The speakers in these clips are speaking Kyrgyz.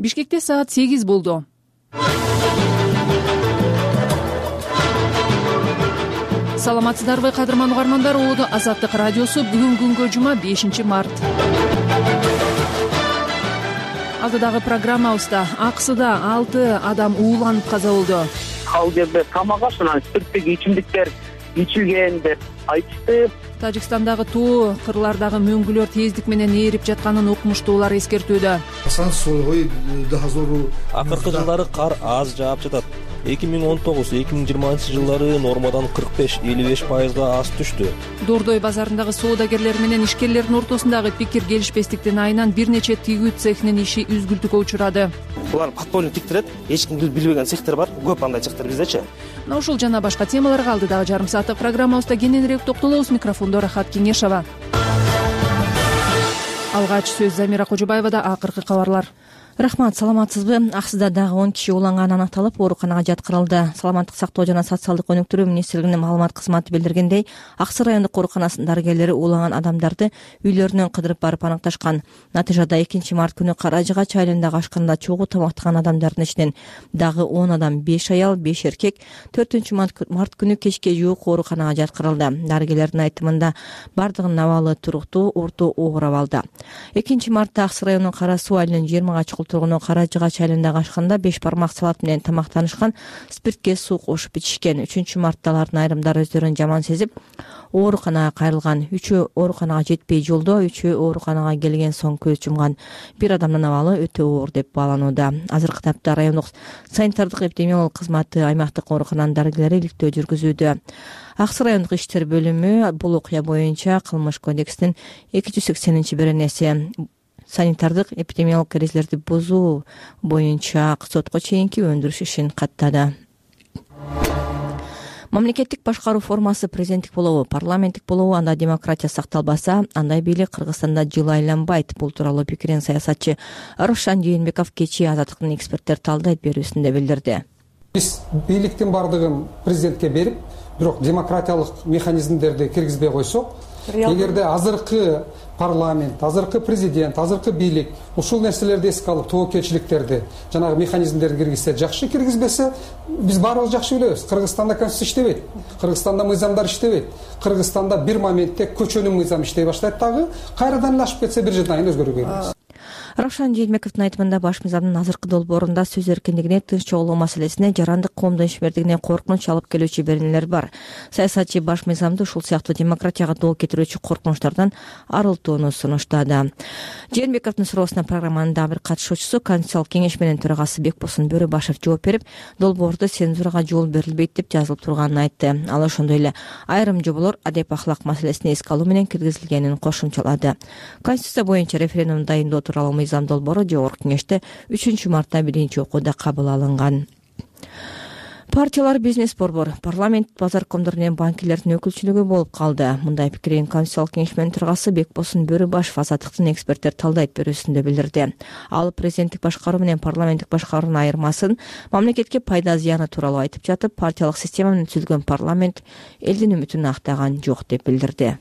Бишкекте саат 8 болду. Саламатсыздарбы кадырман угармандар, Оодо Азаттык радиосу. Бүгүн күнгө жума 5 март. Алдыдагы программабызда АКСда 6 адам ууланып каза болду. Ал жерде тамак аш менен спирттик ичимдиктер ичилген деп айтышты. Тажикстандагы тоо кырлардагы мөңгүлөр тездик менен ээрип жатканын окумуштуулар эскертүүдө. Акыркы жылдары кар аз жаап жатат. 2019-2020 жылдары нормадан 45-55% аз түштү. Дордой базарындагы соодагерлер менен ишкерлердин ортосундагы пикир келишпестиктин айынан бир нече тигүү цехинин иши үзгүлтүккө учурады. Булар подпольный тиктирет, эч ким билбеген цехтер бар, көп андай цехтер биздечи. Мына ушул жана башка темаларга алдыдагы жарым сааттык программабызда кененирээк токтолобуз. Микрофондо Рахат Кеңешова. Алгач сөз Замира Кожобаевада. Акыркы кабарлар. Рахмат, саламатсызбы? Аксда дагы 10 киши ууланганы аныкталып, ооруканага жаткырылды. Саламаттык сактоо жана социалдык өнүктүрүү министрлигинин маалымат кызматы билдиргендей, Аксы райондук ооруканасынын дарыгерлери ууланган адамдарды үйлөрүнөн кыдырып барып аныкташкан. Натыйжада 2 март күнү Каражыгач айылындагы ашканда чогуу тамактаган адамдардын ичинен дагы 10 адам, 5 аял, 5 эркек 4 март күнү кечке жуук ооруканага жаткырылды. Дарыгерлердин айтымында бардыгынын абалы туруктуу, орто оор абалда. 2 мартта Аксы районунун Кара Суу айылынын 20 чукул тургуну Каражыгач айылындагы ашканда 5 бармак салат менен тамактанышкан, спиртке суу кошуп ичишкен. 3 мартта алардын айрымдары өздөрүн жаман сезип, ооруканага кайрылган. 3-өө ооруканага жетпей жолдо, 3-өө ооруканага келген соң көз жумган. Бир адамдын абалы өтө оор деп бааланууда. Азыркы тапта райондук санитардык эпидемиологиялык кызматы аймактык оорукананын дарыгерлери иликтөө жүргүзүүдө. Аксы райондук иштер бөлүмү бул окуя боюнча Кылмыш кодексинин 280-беренеси санитардык эпидемиологик эрежелерди бузуу боюнча сотко чейинки өндүрүш ишин каттады. Мамлекеттик башкаруу формасы президенттик болобу, парламенттик болобу, анда демократия сакталбаса, андай бийлик Кыргызстанда жылы айланбайт. Бул тууралуу пикирин саясатчы Равшан Жээнбеков кечээ Азаттыктын эксперттер талдайт берүүсүндө билдирди. Биз бийликтин бардыгын президентке берип, бирок демократиялык механизмдерди киргизбей койсок, эгерде азыркы парламент, азыркы президент, азыркы бийлик ушул нерселерди эске алып, тобокелчиликтерди, жанагы механизмдерди киргизсе жакшы, киргизбесе биз баарыбыз жакшы билебиз. Кыргызстанда конституция иштебейт, Кыргызстанда мыйзамдар иштебейт. Кыргызстанда бир моментте көчөнүн мыйзамы иштей баштайт дагы, кайрадан эле ашып кетсе бир жылдан кийин өзгөрүүгө келебиз. Равшан Жээнбековдун айтымында баш мыйзамдын азыркы долбоорунда сөз эркиндигине, тынч чогулуу маселесине, жарандык коомдун ишмердигине коркунуч алып келүүчү беренелер бар. Саясатчы баш мыйзамды ушул сыяктуу демократияга доо кетирүүчү коркунучтардан арылтууну сунуштады. Жээнбековдун суроосуна программанын дагы бир катышуучусу, Конституциялык кеңеш менен төрагасы Бекбосын Бөрөбашев жооп берип, долбоордо цензурага жол берилбейт деп жазылып турганын айтты. Ал ошондой эле айрым жоболор адеп ахлак маселесин эске алуу менен киргизилгенин кошумчалады. Конституция боюнча референдум дайындоо тууралуу мыйзам долбоору жогорку кеңеште 3 мартта 1-окууда кабыл алынган. Партиялар, бизнес борбор, парламент, базар коомдор менен банкирлердин өкүлчүлүгү болуп калды. Мындай пикирин Конституциялык кеңеш менен төрагасы Бекбосын Бөрөбашев Азаттыктын эксперттер талдайт берүүсүндө билдирди. Ал президенттик башкаруу менен парламенттик башкаруунун айырмасын, мамлекетке пайда зыяны тууралуу айтып жатып, партиялык система менен түзүлгөн парламент элдин үмүтүн актаган жок деп билдирди.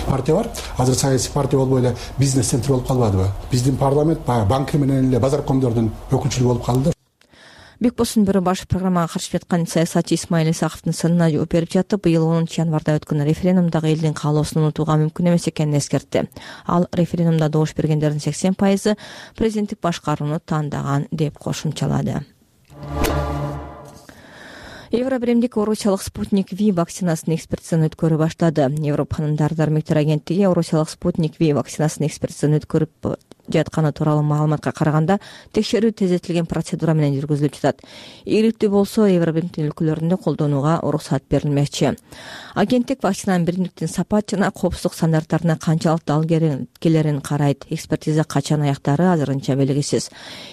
Партиялар азыр саясий партия болбой эле бизнес центр болуп калбадыбы? Биздин парламент банки менен эле базар коомдордун өкүлчүлүгү болуп калды. Бекбосын Бөрөбашев программага каршып жаткан саясатчы Исмаил Исаковдун сынына жооп берип жатып, быйыл 10 январда өткөн референдумдагы элдин каалоосун унутууга мүмкүн эмес экенин эскертти. Ал референдумда добуш бергендердин 80% президенттик башкарууну тандаган деп кошумчалады. Евробиримдик орусиялык Спутник V вакцинасын экспертизадан өткөрүп баштады. Европанын дары-дармектер агенттиги орусиялык Спутник V вакцинасын экспертизадан өткөрүп жатканы тууралуу маалыматка караганда, текшерүү тездетилген процедура менен жүргүзүлүп жатат. Ийгиликтүү болсо, Евробиримдиктин өлкөлөрүндө колдонууга уруксат берилмекчи. Агенттик вакцинанын биримдиктин сапат жана коопсуздук стандарттарына канчалык дал келерин карайт. Экспертиза качан аяктары азырынча белгисиз.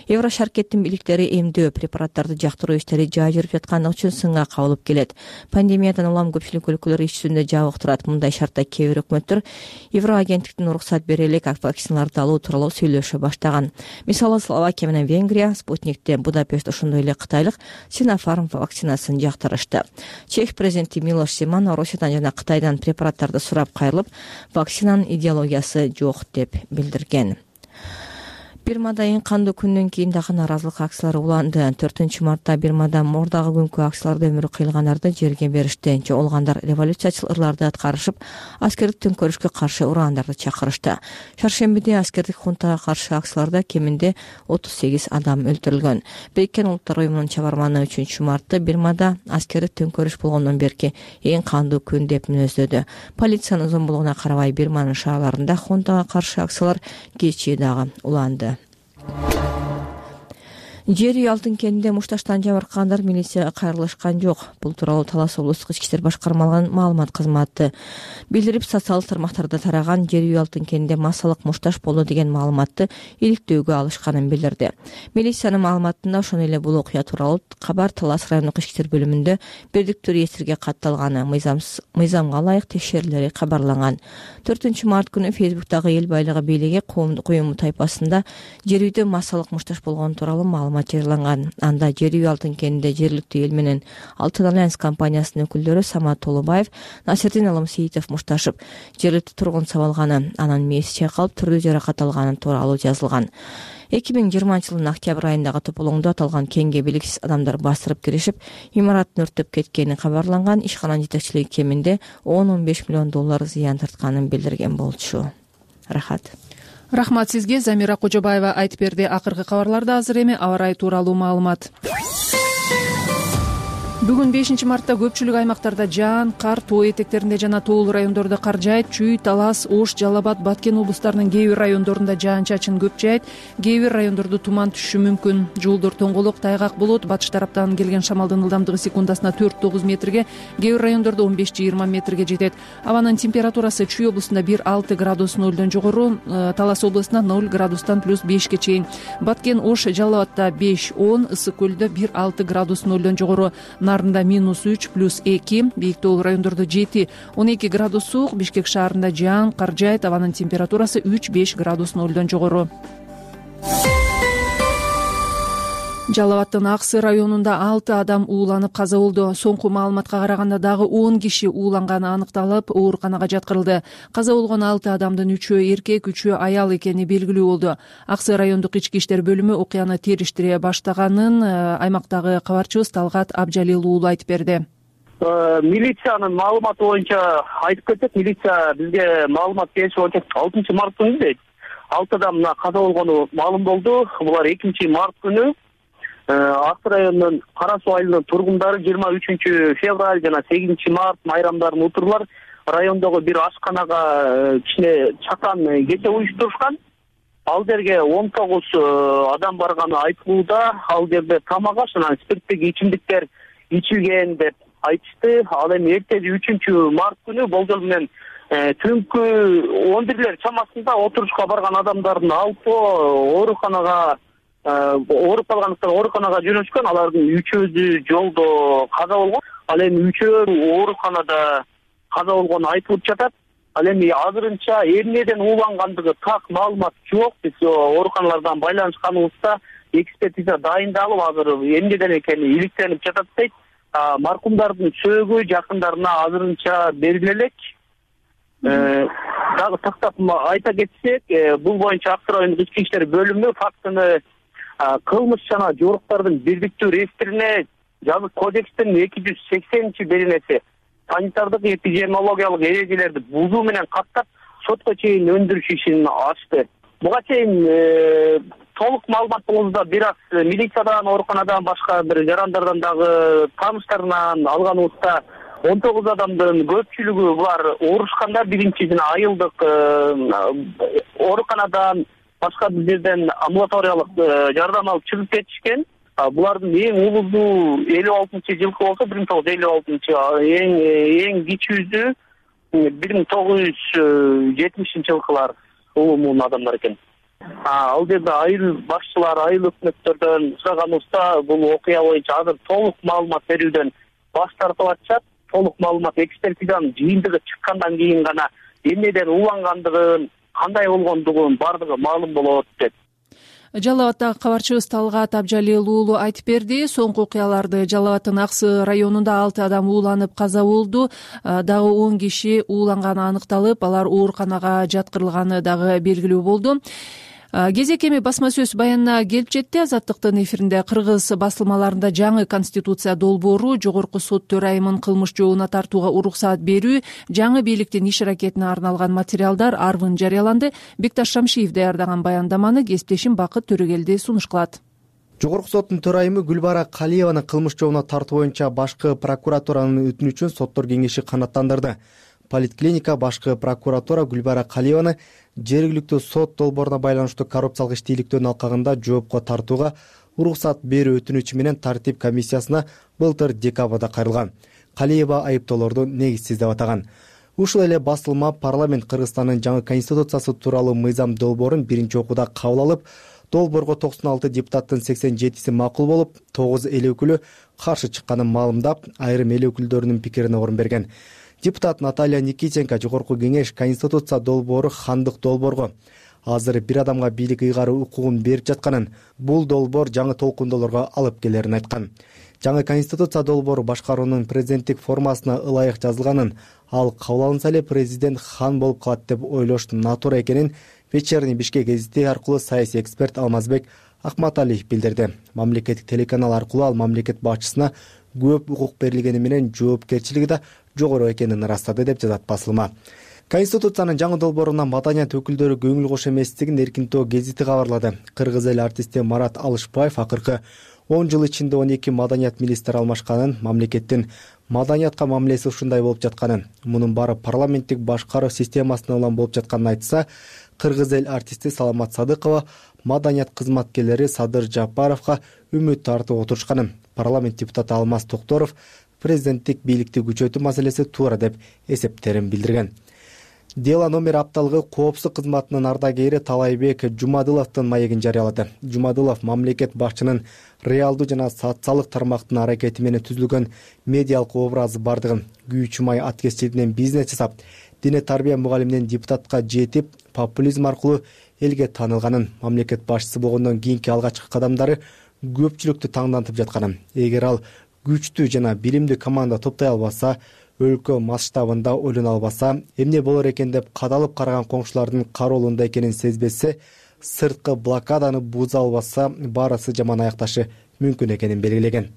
Еврошаркеттин бийликтери эмдөө препараттарды жактыруу иштери жай жүрүп жаткандыгы үчүн сынга кабылып келет. Пандемиядан улам көпчүлүк өлкөлөр иш жүзүндө жабык турат. Мындай шартта кээ бир өкмөттөр Евроагенттиктин уруксат бере элек вакциналарды алуу тууралуу сүйлөшө баштаган. Мисалы Словакия менен Венгрия Спутникти, Будапешт ошондой эле кытайлык Sinopharm вакцинасын жактырышты. Чех президенти Милош Земан Орусиядан жана Кытайдан препараттарды сурап кайрылып, вакцинанын идеологиясы жок деп билдирген. Бирмада эң кандуу күндөн кийин дагы нааразылык акциялары уланды. 4-мартта Бирмада мордагы күнкү акцияларда өмүрү кыйылгандарды жерге беришти. Жоголгандар революциячыл ырларды аткарышып, аскердик төңкөрүшкө каршы урагандарды чакырышты. Шаршембиде аскердик хунтага каршы акцияларда кеминде 38 адам өлтүрүлгөн. Бириккен Улуттар уюмунун чыгарманы 3-мартты Бирмада аскердик төңкөрүш болгондон берки эң кандуу күн деп мүнөздөдү. Полициянын зомбулугуна карабай Бирманын шаарларында хунтага каршы акциялар кечээ дагы уланды. Жер үй алтын кенинде мушташтан жабыркагандар милицияга кайрылышкан жок. Бул тууралуу Талас облустук ички иштер башкармалыгынын маалымат кызматы билдирип, социалдык тармактарда тараган жер үй алтын кенинде массалык мушташ болду деген маалыматты иликтөөгө алышканын билдирди. Милициянын маалыматында ошондой эле бул окуя тууралуу кабар Талас райондук ички иштер бөлүмүндө бирдиктүү реестрге катталганы, мыйзамга ылайык текшерүүлери кабарланган. 4-март күнү Фейсбуктагы эл байлыгы бийлиги коюму тайпасында жер үйдө массалык мушташ болгону тууралуу маалымат жарыяланган. Анда жер үй алтын кенинде жергиликтүү эл менен Алтын альянс компаниясынын өкүлдөрү Самат Толубаев, Насирдин Алымсейитов мушташып, жергиликтүү тургун сабалганы, анын мээси чайкалып түрдүү жаракат алганы тууралуу жазылган. 2020-жылдын октябрь айындагы тополоңдо аталган кенге белгисиз адамдар бастырып киришип, имараттын өрттөп кеткени кабарланган. Ишкананын жетекчилиги кеминде 10-15 миллион доллар зыян тартканын билдирген болчу. Рахмат сизге. Замира Кожобаева айтып берди. Акыркы кабарларда азыр эми аба ырайы тууралуу маалымат. Бүгүн 5-мартта көпчүлүк аймактарда жаан, кар, тоо этектеринде жана тоолуу райондордо кар жаайт. Чүй, Талас, Ош, Жалал Абад, Баткен облустарынын кээ бир райондорунда жаан-чачын көп жаайт. Кээ бир райондордо туман түшүшү мүмкүн. Жолдор тоңголок, тайгак болот. Батыш тараптан келген шамалдын ылдамдыгы секундасына 4-9 метрге, кээ бир райондордо 15-20 метрге жетет. Абанын температурасы Чүй облусунда 1-6 градус нөлдөн жогору, Талас облусунда 0 градустан +5ге чейин. Баткен, Ош, Жалал Абадта 5-10, Ысык көлдө 1-6 градус нөлдөн жогору. Нарында -3 +2, бийик тоолуу райондордо 7-12 градус суук. Бишкек шаарында жаан, кар жаайт. Абанын температурасы 3-5 градус нөлдөн жогору. Жалал Абадтын Аксы районунда 6 адам ууланып каза болду. Соңку маалыматка караганда дагы 10 киши ууланганы аныкталып, ооруканага жаткырылды. Каза болгон 6 адамдын 3-өө эркек, 3-өө аял экени белгилүү болду. Аксы райондук ички иштер бөлүмү окуяны териштире баштаганын аймактагы кабарчыбыз Талгат Абжалил уулу айтып берди. Милициянын маалыматы боюнча айтып кетсек, милиция бизге маалымат бериши боюнча 6-март күнү дейт. 6 адам каза болгону маалым болду. Булар 2-март күнү Аксы районунун Кара Суу айылынын тургундары 23-февраль жана 8-март майрамдарын утурлар райондогу бир ашканага кичине чакан кече уюштурушкан. Ал жерге 19 адам барганы айтылууда. Ал жерде тамак аш жана спирттик ичимдиктер ичилген деп айтышты. Ал эми эртеси 3-март күнү болжол менен түнкү 11-лер чамасында отурушка барган адамдардын алпы ооруканага ооруп калгандыктан ооруканага жөнөшкөн. Алардын 3-өзү жолдо каза болгон. Ал эми 3-өө ооруканада каза болгону айтылып жатат. Ал эми азырынча эмнеден уулангандыгы так маалымат жок. Биз ооруканалардан байланышканыбызда экспертиза дайындалып, азыр эмнеден экени иликтенип жатат дейт. Маркумдардын сөөгү жакындарына азырынча бериле элек. Дагы тактап айта кетсек, бул боюнча Аксы райондук ички иштер бөлүмү фактыны кылмыш жана жоруктардын бирдиктүү реестрине жазык кодекстин 280-беренеси санитардык эпидемиологиялык эрежелерди бузуу менен каттап сотко чейин өндүрүш ишин ачты. Буга чейин толук маалымат болууда бир аз милициядан, ооруканадан башка бир жарандардан дагы тааныштарынан алганыбызда 19 адамдын көпчүлүгү булар оорушкандар. Биринчи жана айылдык ооруканадан башка бир жерден амбулаториялык жардам алып чыгып кетишкен. Булардын эң улуусу 56-жылкы болсо, 1956, эң кичүүсү 1970-жылкылар улумунун адамдар экен. Ал жерде айыл башчылары, айыл өкмөттөрдөн сураганыбызда бул окуя боюнча азыр толук маалымат берүүдөн баш тартып атышат. Толук маалымат экспертизанын жыйынтыгы чыккандан кийин гана эмнеден уулангандыгын, кандай болгондугун бардыгы маалым болот деп. Жалал Абадтагы кабарчыбыз Талгат Абжалил уулу айтып берди. Соңку окуяларды Жалал Абадтын Аксы районунда 6 адам ууланып каза болду. Дагы 10 киши ууланганы аныкталып, алар ооруканага жаткырылганы дагы белгилүү болду. кезек эми басма сөз баянына келип жетти. Азаттыктын эфиринде кыргыз басылмаларында жаңы конституция долбоору, жогорку сот төрайымын кылмыш жообуна тартууга уруксаат берүү, жаңы бийликтин иш аракетине арналган материалдар арвын жарыяланды. Бекташ Шамшиев даярдаган баяндаманы кесиптешим Бакыт Төрөгелди сунуш кылат. Жогорку соттун төрайымы Гүлбара Калиеваны кылмыш жообуна тартуу боюнча башкы прокуратуранын өтүнүчүн соттор кеңеши канааттандырды. Политклиника башкы прокуратура Гүлбара Калиеваны жергиликтүү сот долбооруна байланыштуу коррупциялык иштүүликтөрдүн алкагында жоопко тартууга уруксаат берүү өтүнүчү менен тартип комиссиясына былтыр декабрда кайрылган. Калиева айыптоолорду негизсиз деп атаган. Ушул эле басылма парламент Кыргызстандын жаңы конституциясы тууралуу мыйзам долбоорун биринчи окууда кабыл алып, долбоорго 96 депутаттын 87си макул болуп, 9 эл өкүлү каршы чыкканын маалымдап, айрым эл өкүлдөрүнүн пикирине орун берген. Депутат Наталья Никитенко жогорку кеңеш конституция долбоору хандык долбоорго азыр бир адамга бийлик ыйгаруу укугун берип жатканын, бул долбоор жаңы толкундоолорго алып келерин айткан. Жаңы конституция долбоору башкаруунун президенттик формасына ылайык жазылганын, ал кабыл алынса эле президент хан болуп калат деп ойлош натура экенин Вечерний Бишкек гезити аркылуу саясий эксперт Алмазбек Акматалиев билдирди. Мамлекеттик телеканал аркылуу ал мамлекет башчысына көп укук берилгени менен жоопкерчилиги да жогору экенин ырастады деп жазат басылма. Конституциянын жаңы долбооруна маданият өкүлдөрү көңүл кошу эместигин Эркинтоо гезити кабарлады. Кыргыз эл артисти Марат Алышбаев акыркы 10 жыл ичинде 12 маданият министри алмашканын, мамлекеттин маданиятка мамилеси ушундай болуп жатканын, мунун баары парламенттик башкаруу системасына улам болуп жатканын айтса, кыргыз эл артисти Саламат Садыкова маданият кызматкерлери Садыр Жапаровго үмүт тартып отурушканын, парламент депутаты Алмаз Токторов президенттик бийликти күчөтүү маселеси туура деп эсептерин билдирген. Дела номер апталыгы коопсуздук кызматынын ардагери Талайбек Жумадыловдун маегин жарыялады. Жумадылов мамлекет башчынын реалдуу жана социалдык тармактын аракети менен түзүлгөн медиалык образы бардыгын, күйүүчү май аткезчилигинен бизнес жасап, дине тарбия мугалиминен депутатка жетип, популизм аркылуу элге таанылганын, мамлекет башчысы болгондон кийинки алгачкы кадамдары көпчүлүктү таңдантып жатканын, эгер ал күчтүү жана билимдүү команда топтой албаса, өлкө масштабында ойлоно албаса, эмне болор экен деп кадалып караган коңшулардын кароолунда экенин сезбесе, сырткы блокаданы буза албаса, баарысы жаман аякташы мүмкүн экенин белгилеген.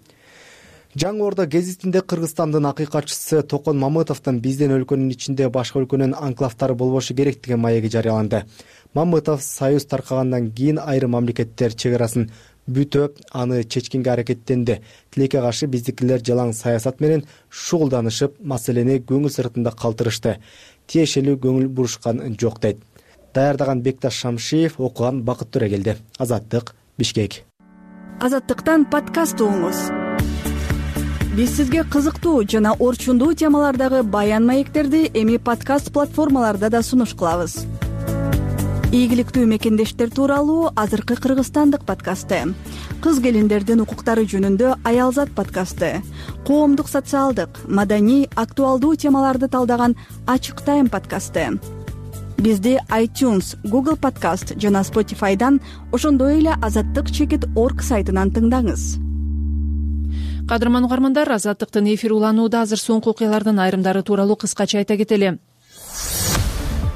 Жаңы Орда гезитинде Кыргызстандын акыйкатчысы Токон Мамытовдун биздин өлкөнүн ичинде башка өлкөнүн анклавдары болбошу керек деген маеги жарыяланды. Мамытов союз таркагандан кийин айрым мамлекеттер чек арасын бүтөп, аны чечкенге аракеттенди. Тилекке каршы биздикилер жалаң саясат менен шугулданышып, маселени көңүл сыртында калтырышты. Тиешелүү көңүл бурушкан жок дейт. Даярдаган Бекташ Шамшиев, окуган Бакыт Төрөгелди. Азаттык, Бишкек. Азаттыктан подкаст угуңуз. Биз сизге кызыктуу жана орчундуу темалардагы баян маектерди эми подкаст платформаларда да сунуш кылабыз. Ийгиликтүү мекендештер тууралуу азыркы Кыргызстандык подкасты, кыз келиндердин укуктары жөнүндө Аялзат подкасты, коомдук социалдык, маданий, актуалдуу темаларды талдаган Ачык Тайм подкасты. Бизди iTunes, Google Podcast жана Spotify'дан, ошондой эле azattyk.org сайтынан тыңдаңыз. Кадырман угармандар, Азаттыктын эфири уланууда. Азыр соңку окуялардын айрымдары тууралуу кыскача айта кетели.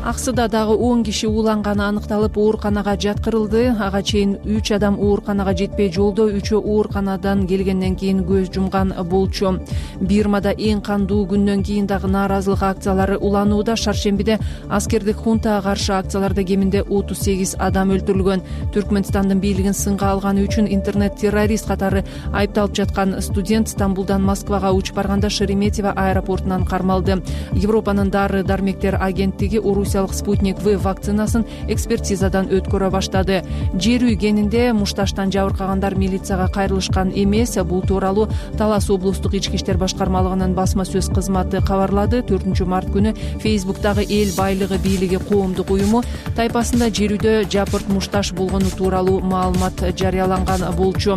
Аксыда дагы 10 киши ууланганы аныкталып, ооруканага жаткырылды. Ага чейин 3 адам ооруканага жетпей жолдо, 3-өө ооруканадан келгенден кийин көз жумган болчу. Бирмада эң кандуу күндөн кийин дагы нааразылык акциялары уланууда. Шаршембиде аскердик хунтага каршы акцияларда кеминде 38 адам өлтүрүлгөн. Түркмөнстандын бийлигин сынга алганы үчүн интернет-террорист катары айыпталып жаткан студент Стамбулдан Москвага учуп барганда Шереметьево аэропортунан кармалды. Европанын дары-дармектер агенттиги Спутник В вакцинасын экспертизадан өткөрө баштады. Жер үй кенинде мушташтан жабыркагандар милицияга кайрылышкан эмес. Бул тууралуу Талас облустук ички иштер башкармалыгынын басма сөз кызматы кабарлады. 4-март күнү Фейсбуктагы эл байлыгы бийлиги коомдук уюму тайпасында жер үйдө жапырт мушташ болгону тууралуу маалымат жарыяланган болчу.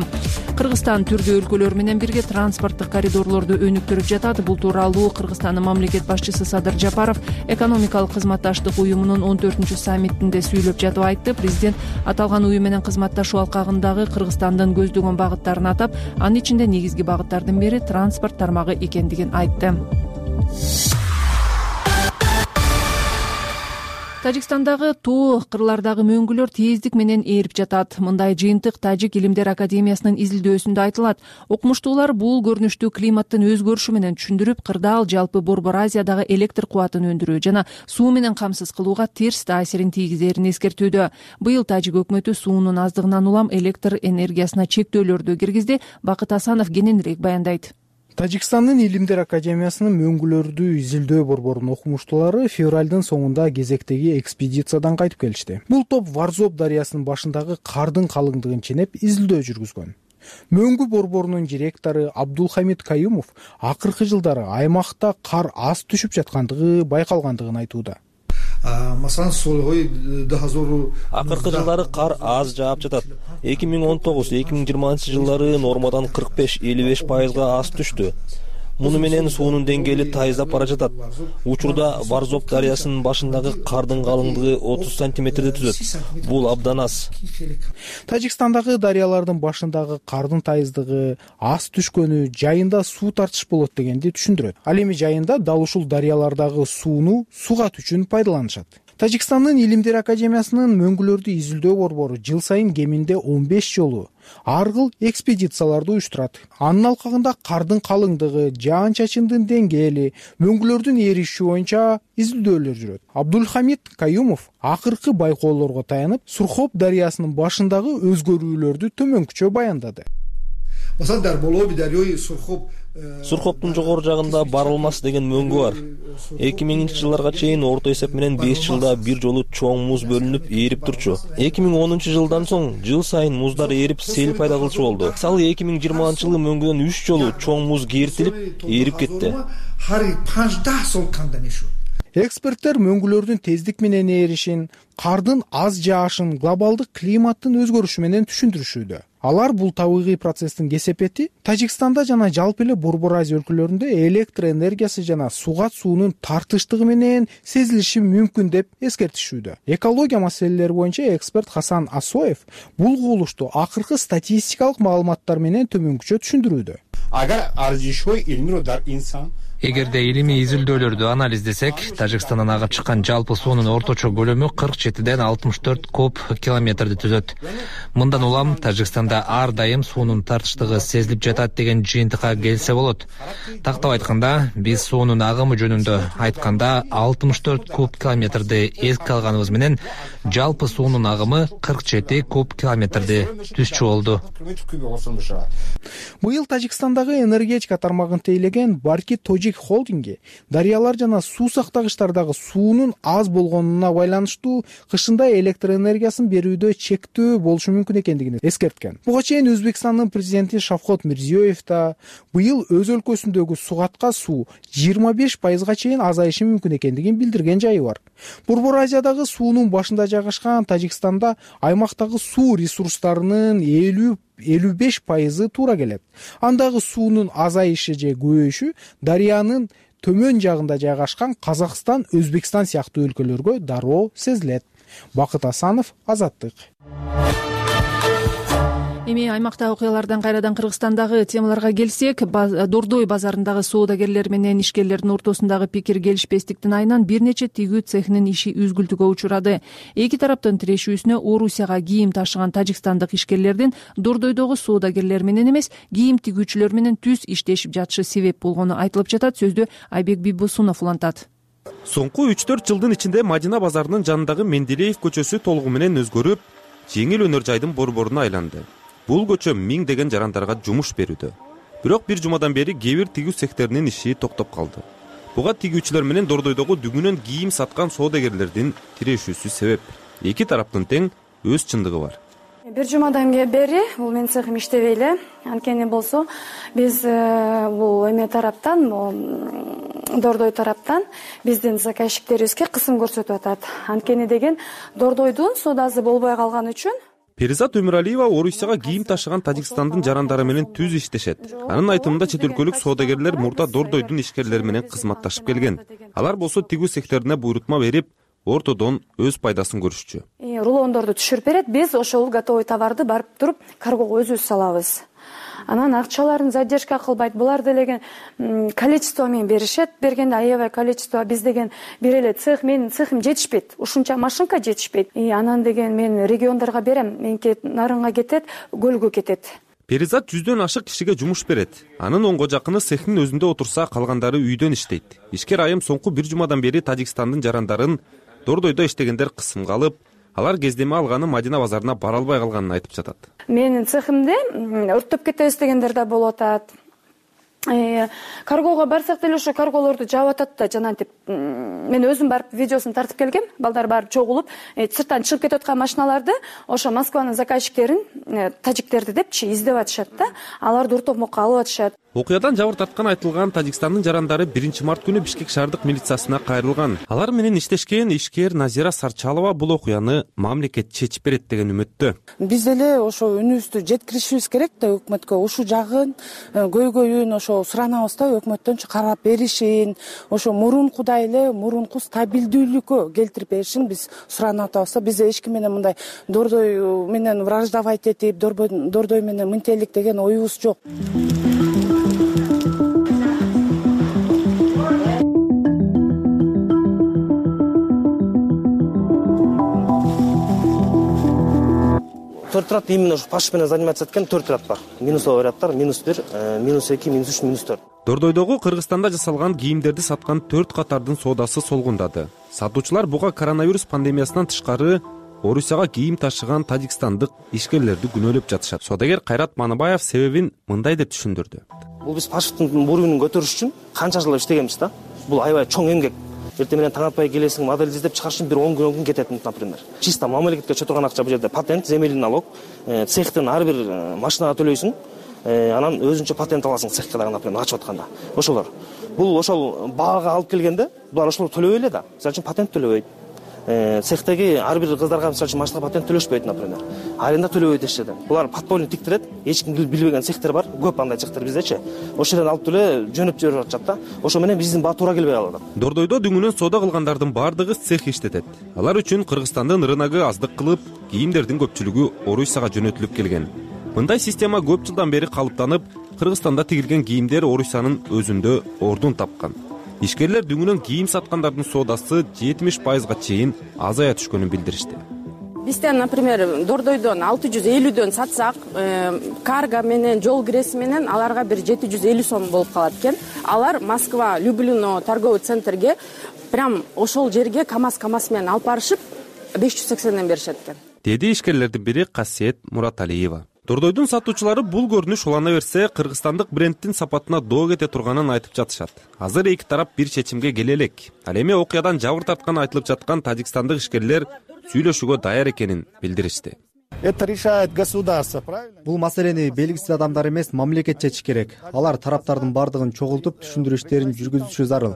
Кыргызстан түрдүү өлкөлөр менен бирге транспорттук коридорлорду өнүктүрүп жатат. Бул тууралуу Кыргызстандын мамлекет башчысы Садыр Жапаров экономикалык кызматташтык уюмунун 14-саммитинде сүйлөп жатып айтты. Президент аталган уюм менен кызматташуу алкагындагы Кыргызстандын көздөгөн багыттарын атап, анын ичинде негизги багыттардын бири транспорт тармагы экендигин айтты. Тажикстандагы тоо кырлардагы мөңгүлөр тездик менен ээрип жатат. Мындай жыйынтык Тажик илимдер академиясынын изилдөөсүндө айтылат. Окумуштуулар бул көрүнүштү климаттын өзгөрүшү менен түшүндүрүп, кырдаал жалпы Борбор Азиядагы электр кубатын өндүрүү жана суу менен камсыз кылууга терс таасирин тийгизерин эскертүүдө. Быйыл Тажик өкмөтү суунун аздыгынан улам электр энергиясына чектөөлөрдү киргизди. Бакыт Асанов кененирээк баяндайт. Тажикстандын илимдер академиясынын мөңгүлөрдү изилдөө борборунун окумуштуулары февралдын соңунда кезектеги экспедициядан кайтып келишти. Бул топ Варзоб дарыясынын башындагы кардын калыңдыгын ченеп изилдөө жүргүзгөн. Мөңгү борборунун директору Абдулхамид Каюмов акыркы жылдары аймакта кар аз түшүп жаткандыгы байкалгандыгын айтууда. Акыркы жылдары кар аз жаап жатат. 2019-2020 жылдары нормадан 45-55% аз түштү. Муну менен суунун деңгээли тайыздап бара жатат. Учурда Варзоб дарыясынын башындагы кардын калыңдыгы 30 сантиметрди түзөт. Бул абдан аз. Тажикстандагы дарыялардын башындагы кардын тайыздыгы аз түшкөнү жайында суу тартыш болот дегенди түшүндүрөт. Ал эми жайында дал ушул дарыялардагы сууну сугат үчүн пайдаланышат. Тажикстандын илимдер академиясынын мөңгүлөрдү изилдөө борбору жыл сайын кеминде 15 жолу ар кыл экспедицияларды уюштурат. Анын алкагында кардын калыңдыгы, жаан-чачындын деңгээли, мөңгүлөрдүн ээриши боюнча изилдөөлөр жүрөт. Абдулхамид Каюмов акыркы байкоолорго таянып, Сурхоп дарыясынын башындагы өзгөрүүлөрдү төмөнкүчө баяндады. Сурхоптун жогору жагында Барылмас деген мөңгү бар. 2000-жылдарга чейин орто эсеп менен 5 жылда бир жолу чоң муз бөлүнүп ээрип турчу. 2010-жылдан соң жыл сайын муздар ээрип сел пайда кылчу болду. Мисалы 2020-жылы мөңгүдөн 3 жолу чоң муз кертилип ээрип кетти. Эксперттер мөңгүлөрдүн тездик менен ээришин, кардын аз жаашын глобалдык климаттын өзгөрүшү менен түшүндүрүшүүдө. Алар бул табигый процесстин кесепети Тажикстанда жана жалпы эле Борбор Азия өлкөлөрүндө электр энергиясы жана сугат суунун тартыштыгы менен сезилиши мүмкүн деп эскертишүүдө. Экология маселелери боюнча эксперт Хасан Асоев бул кубулушту акыркы статистикалык маалыматтар менен төмөнкүчө түшүндүрүүдө. Эгерде илимий изилдөөлөрдү анализдесек, Тажикстандан агып чыккан жалпы суунун орточо көлөмү 47ден 64 куб километрди түзөт. Мындан улам Тажикстанда ар дайым суунун тартыштыгы сезилип жатат деген жыйынтыкка келсе болот. Тактап айтканда, биз суунун агымы жөнүндө айтканда 64 куб километрди эске алганыбыз менен жалпы суунун агымы 47 куб километрди түзчү болду. Быйыл Тажикстандагы энергетика тармагын тейлеген Барки Тожик холдинги дарыялар жана суу сактагычтардагы суунун аз болгонуна байланыштуу кышында электр энергиясын берүүдө чектөө болушу мүмкүн экендигин эскерткен. Буга чейин Өзбекстандын президенти Шавкат Мирзиёев да быйыл өз өлкөсүндөгү сугатка суу 25%га чейин азайышы мүмкүн экендигин билдирген жайы бар. Борбор Азиядагы суунун башында жайгашкан Тажикстанда аймактагы суу ресурстарынын 55% туура келет. Андагы суунун азайышы же көбөйүшү дарыянын төмөн жагында жайгашкан Казакстан, Өзбекстан сыяктуу өлкөлөргө дароо сезилет. Бакыт Асанов, Азаттык. Эми аймактагы окуялардан кайрадан Кыргызстандагы темаларга келсек, Дордой базарындагы соодагерлер менен ишкерлердин ортосундагы пикир келишпестиктин айынан бир нече тигүү цехинин иши үзгүлтүгө учурады. Эки тараптын тирешүүсүнө Орусияга кийим ташыган тажикстандык ишкерлердин Дордойдогу соодагерлер менен эмес, кийим тигүүчүлөр менен түз иштешип жатышы себеп болгону айтылып жатат. Сөздү Айбек Бибосунов улантат. Соңку 3-4 жылдын ичинде Мадина базарынын жанындагы Менделеев көчөсү толугу менен өзгөрүп, жеңил өнөр жайдын борборуна айланды. Бул көчө миңдеген жарандарга жумуш берүүдө. Бирок бир жумадан бери кээ бир тигүү цехтеринин иши токтоп калды. Буга тигүүчүлөр менен Дордойдогу дүгүнөн кийим саткан соодагерлердин тирешүүсү себеп. Эки тараптын тең өз чындыгы бар. Бир жумадан бери бул менин цехим иштебей эле. Анткени болсо биз бул эме тараптан, Дордой тараптан биздин заказчиктерибизге кысым көрсөтүп атат. Анткени деген Дордойдун соодасы болбой калган үчүн Перизат Өмүралиева Орусияга кийим ташыган Тажикстандын жарандары менен түз иштешет. Анын айтымында чет өлкөлүк соодагерлер мурда Дордойдун ишкерлери менен кызматташып келген. Алар болсо тигүү цехтерине буйрутма берип, ортодон өз пайдасын көрүшчү. Рулондорду түшүрүп берет, биз ошол готовый товарды барып туруп каргого өзүбүз салабыз. анан акчаларын задержка кылбайт. Булар делеген количество менен беришет. Бергенде аябай количество. Биз деген бир эле цех, менин цехим жетишпейт. Ушунча машинка жетишпейт. Анан деген мен региондорго берем. Меники Нарынга кетет, Көлгө кетет. Перизат 100дөн ашык кишиге жумуш берет. Анын онго жакыны цехтин өзүндө отурса, калгандары үйдөн иштейт. Ишкер айым соңку бир жумадан бери Тажикстандын жарандарын Дордойдо иштегендер кысымга алып, алар кездеме алганы Мадина базарына бара албай калганын айтып жатат. Менин цехимде өрттөп кетебиз дегендер да болуп атат. Каргого барсак деле ошо карголорду жаап атат да, жанагынтип мен өзүм барып видеосун тартып келгем. Балдар барып чогулуп, сырттан чыгып кетип аткан машиналарды ошо Москванын заказчиктерин, тажиктерди депчи издеп атышат да. Аларды уртомокко алып атышат. Окуядан жабыр тарткан айтылган Тажикстандын жарандары 1-март күнү Бишкек шаардык милициясына кайрылган. Алар менен иштешкен ишкер Назира Сарчалова бул окуяны мамлекет чечип берет деген үмүттө. Биз деле ошо үнүбүздү жеткиришибиз керек да өкмөткө. Ушул жагын көйгөйүн ошо суранабыз да, өкмөттөн карап беришин, ошо мурункудай эле мурунку стабилдүүлүккө келтирип беришин биз суранып атабыз да. Биз эч ким менен мындай Дордой менен враждовать этип, Дордой менен мынтелик деген оюбуз жок. Төрт ряд именно пашып менен заниматься эткен 4 ряд бар. Минусовый рядтар -1, -2, -3, -4. Дордойдогу Кыргызстанда жасалган кийимдерди саткан 4 катардын соодасы солгундады. Сатуучулар буга коронавирус пандемиясынан тышкары Орусияга кийим ташыган тажикстандык ишкерлерди күнөөлөп жатышат. Соодагер Кайрат Маныбаев себебин мындай деп түшүндүрдү. Бул биз пашыптын уровенин көтөрүш үчүн канча жыл иштегенбиз да. Бул аябай чоң эмгек. Эртең менен таң атпай келесиң, модель издеп чыгарыш үчүн бир 10 күн кетет, например. Чисто мамлекетке чөтөргөн акча бул жерде патент, земельный налог, цехтин ар бир машинага төлөйсүң, анан өзүнчө патент аласың цехке дагы, например, ачып атканда. Ошолор. Бул ошол баага алып келгенде, булар ошол төлөбөй эле да. Мисалы үчүн патент төлөбөйт. Цехтеги ар бир кыздарга мисалы үчүн машина патент төлөшпөйт, например. Аренда төлөбөйт эч жерден. Булар подпольный тиктирет, эч ким билбеген цехтер бар, көп андай цехтер биздечи. Ошол жерден алып төлө, жөнөп жиберип атышат да. Ошо менен биздин баа туура келбей калат. Дордойдо дүңүнөн соода кылгандардын бардыгы цех иштетет. Алар үчүн Кыргызстандын рыногу аздык кылып, кийимдердин көпчүлүгү Орусияга жөнөтүлүп келген. Мындай система көп жылдан бери калыптанып, Кыргызстанда тигилген кийимдер Орусиянын өзүндө ордун тапкан. Ишкерлер дүңүнөн кийим саткандардын соодасы 70%га чейин азая түшкөнүн билдиришти. Бизден, например, Дордойдон 650дөн сатсак, карго менен, жол киреси менен аларга бир 750 сом болуп калат экен. Алар Москва, Люблино торговый центрге прям ошол жерге КамАЗ менен алып барышып 580ден беришет экен. Деди ишкерлердин бири Касиет Мураталиева. Дордойдун сатуучулары бул көрүнүш улана берсе, кыргызстандык брендтин сапатына доо кете турганын айтып жатышат. Азыр эки тарап бир чечимге келе элек. Ал эми окуядан жабыр тарткан айтылып жаткан тажикстандык ишкерлер сүйлөшүүгө даяр экенин билдиришти. Это решает государство, правильно? Бул маселени белгисиз адамдар эмес, мамлекет чечиш керек. Алар тараптардын бардыгын чогултуп, түшүндүрүү иштерин жүргүзүшү зарыл.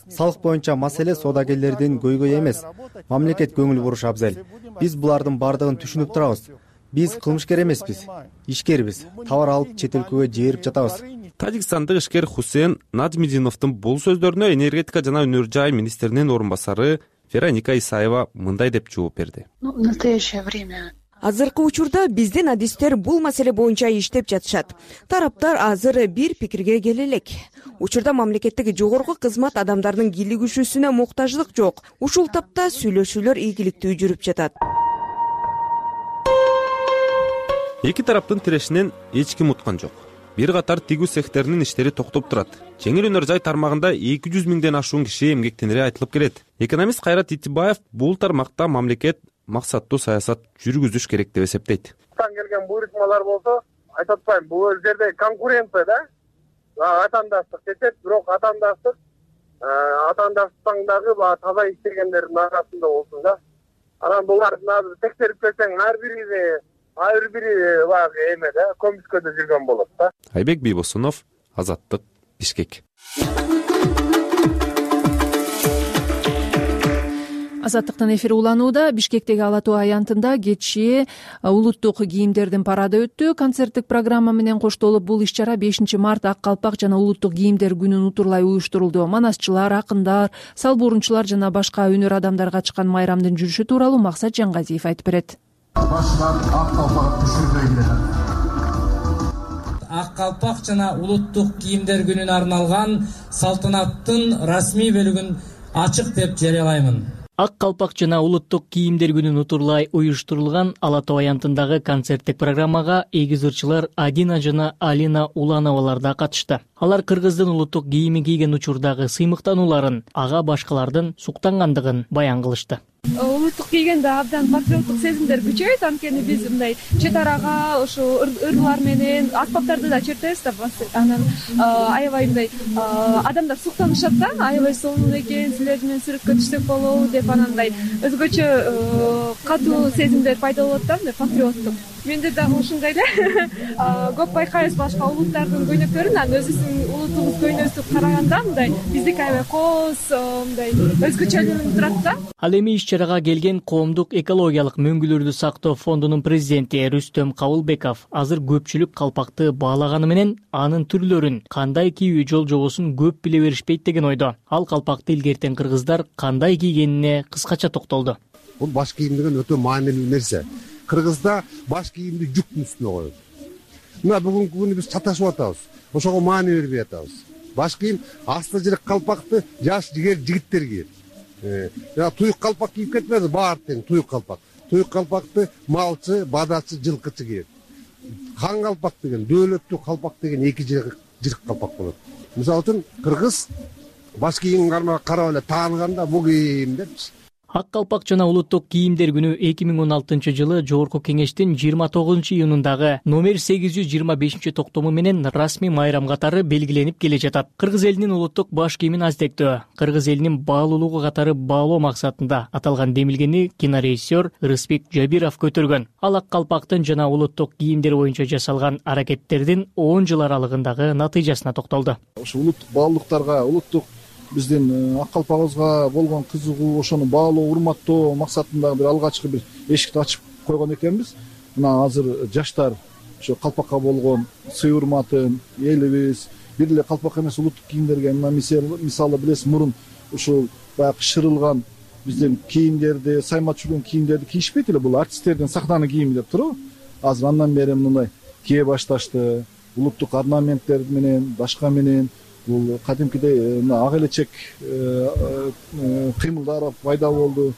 Салык боюнча маселе соодагерлердин көйгөйү эмес, мамлекет көңүл бурушу абзел. Биз булардын бардыгын түшүнүп турабыз. Биз кылмышкер эмеспиз, ишкербиз. Товар алып чет өлкөгө жиберип жатабыз. Тажикстандык ишкер Хусейн Наджмидиновдун бул сөздөрүнө энергетика жана өнөр жай министринин орун басары Вероника Исаева мындай деп жооп берди. В настоящее время Азыркы учурда биздин адистер бул маселе боюнча иштеп жатышат. Тараптар азыр бир пикирге келе элек. Учурда мамлекеттеги жогорку кызмат адамдардын кийлигишүүсүнө муктаждык жок. Ушул тапта сүйлөшүүлөр ийгиликтүү жүрүп жатат. Эки тараптын тирешинен эч ким уткан жок. Бир катар тигүү цехтеринин иштери токтоп турат. Жеңил өнөр жай тармагында 200 миңден ашуун киши эмгектенири айтылып келет. Экономист Кайрат Итибаев бул тармакта мамлекет максаттуу саясат жүргүзүш керек деп эсептейт. Келген буйрутмалар болсо, айтып атпайм, бул жерде конкуренция да. Атаандаштык кетет, бирок атаандаштыктагы таза иштегендердин арасында болсун да. Анан буларды текшерип келсең, ар бири эме да, көмүскөдө жүргөн болот да. Айбек Бийбосунов, Азаттык, Бишкек. Азаттыктын эфири уланууда. Бишкектеги Ала Тоо аянтында кечээ улуттук кийимдердин парады өттү. Концерттик программа менен коштолуп бул иш-чара 5-март ак калпак жана улуттук кийимдер күнүн утурлай уюштурулду. Манасчылар, акындар, салбуурунчулар жана башка өнөр адамдарга чыккан майрамдын жүрүшү тууралуу Максат Жангазиев айтып берет. Башынан ак калпак түшүрбөйүн деп. ак калпак жана улуттук кийимдер күнүнө арналган салтанаттын расмий бөлүгүн ачык деп жарыялаймын. Ак калпак жана улуттук кийимдер күнүн утурлай уюштурулган Ала Тоо аянтындагы концерттик программага эгиз ырчылар Адина жана Алина Улановалар да катышты. Алар кыргыздын улуттук кийими кийген учурдагы сыймыктанууларын, ага башкалардын суктангандыгын баян кылышты. Улуттук кийгенде абдан патриоттук сезимдер күчөйт, анткени биз мындай чет арага ошо ырлар менен аспаптарды да чертебиз да, анан аябай мындай адамдар суктанышат да, аябай сонун экен, силер менен сүрөткө түшсөк болобу деп, анан мындай өзгөчө катуу сезимдер пайда болот да, мындай патриоттук. Менде дагы ушундай эле көп байкайбыз башка улуттардын көйнөктөрүн, анан өзүбүздүн улутубуз көйнөсүн караганда мындай биздики аябай кооз, мындай өзгөчөлүгү турат да. Ал эми иш-чарага келген Коомдук экологиялык мөңгүлөрдү сактоо фондунун президенти Рүстөм Кабылбеков азыр көпчүлүк калпакты баалаганы менен анын түрлөрүн, кандай кийүү жол-жобосун көп биле беришпейт деген ойдо. Ал калпакты илгертен кыргыздар кандай кийгенине кыскача токтолду. Бул баш кийим деген өтө маанилүү нерсе. Кыргызда баш кийимди жүктүн үстүнө коет. Мына бүгүнкү күнү биз чаташып атабыз. Ошого маани бербей атабыз. Баш кийим асты жырык калпакты жаш жигер жигиттер кийет. Туюк калпак кийип кетпеди, баар тең туюк калпак. Туюк калпакты малчы, бадачы, жылкычы кийет. Хан калпак деген, дөөлөттүү калпак деген эки жырык калпак болот. Мисалы үчүн кыргыз баш кийимин карап эле тааныганда бул кийим депчи. Ак калпак жана улуттук кийимдер күнү 2016-жылы Жогорку Кеңештин 29-июнундагы номер 825-токтому менен расмий майрам катары белгиленип келе жатат. Кыргыз элинин улуттук баш кийимин аздектөө, кыргыз элинин баалуулугу катары баалоо максатында аталган демилгени кинорежиссер Рыспек Жабиров көтөргөн. Ал ак калпактын жана улуттук кийимдер боюнча жасалган аракеттердин 10 жыл аралыгындагы натыйжасына токтолду. Ошо улуттук баалуулуктарга, улуттук биздин ак калпагыбызга болгон кызыгуу, ошону баалоо, урматтоо максатында бир алгачкы бир эшикти ачып койгон экенбиз. Мына азыр жаштар ошо калпакка болгон сый урматын, элибиз бир эле калпак эмес улуттук кийимдерге, мына мисалы билесиз, мурун ушул баягы шырылган биздин кийимдерди, саймат жүргөн кийимдерди кийишпейт эле, бул артисттердин сахнанын кийими деп туруп. Азыр андан бери мындай кие башташты, улуттук орнаменттер менен, башка менен. Бул кадимкидей ак элечек кыймылдар пайда болду.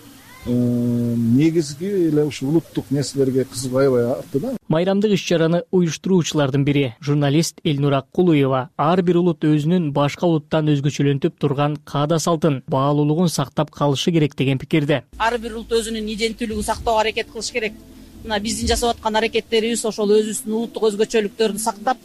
Негизги эле ушу улуттук нерселерге кызыгуу аябай артты да. Майрамдык иш-чараны уюштуруучулардын бири журналист Элнура Кулуева ар бир улут өзүнүн башка улуттан өзгөчөлөнтүп турган каада салтын, баалуулугун сактап калышы керек деген пикирде. Ар бир улут өзүнүн иденттүүлүгүн сактоого аракет кылыш керек. Мына биздин жасап аткан аракеттерибиз ошол өзүбүздүн улуттук өзгөчөлүктөрдү сактап,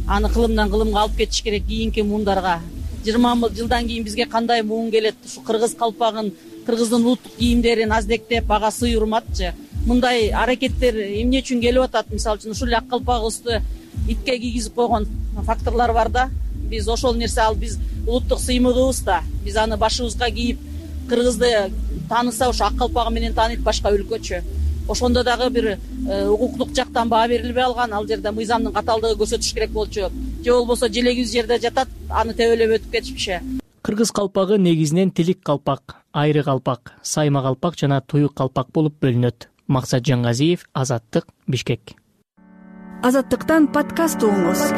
аны кылымдан кылымга алып кетиш керек. Кийинки муундарга 20 жылдан кийин бизге кандай муун келет, ушу кыргыз калпагын, кыргыздын улуттук кийимдерин аздектеп, ага сый урматчы. Мындай аракеттер эмне үчүн келип атат? Мисалы үчүн ушул ак калпагыбызды итке кийгизип койгон факторлор бар да. Биз ошол нерсе, ал биз улуттук сыймыгыбыз да. Биз аны башыбызга кийип, кыргызды тааныса ошо ак калпагы менен тааныйт башка өлкөчө. Ошондо дагы бир укуктук жактан баа берилбей алган, ал жерде мыйзамдын катаалдыгы көрсөтүш керек болчу. Же болбосо желегибиз жерде жатат, аны тебелеп өтүп кетишпиши. Кыргыз калпагы негизинен тилик калпак, айры калпак, сайма калпак жана туюк калпак болуп бөлүнөт. Максат Жаңгазиев, Азаттык, Бишкек. Азаттыктан подкаст угуңуз.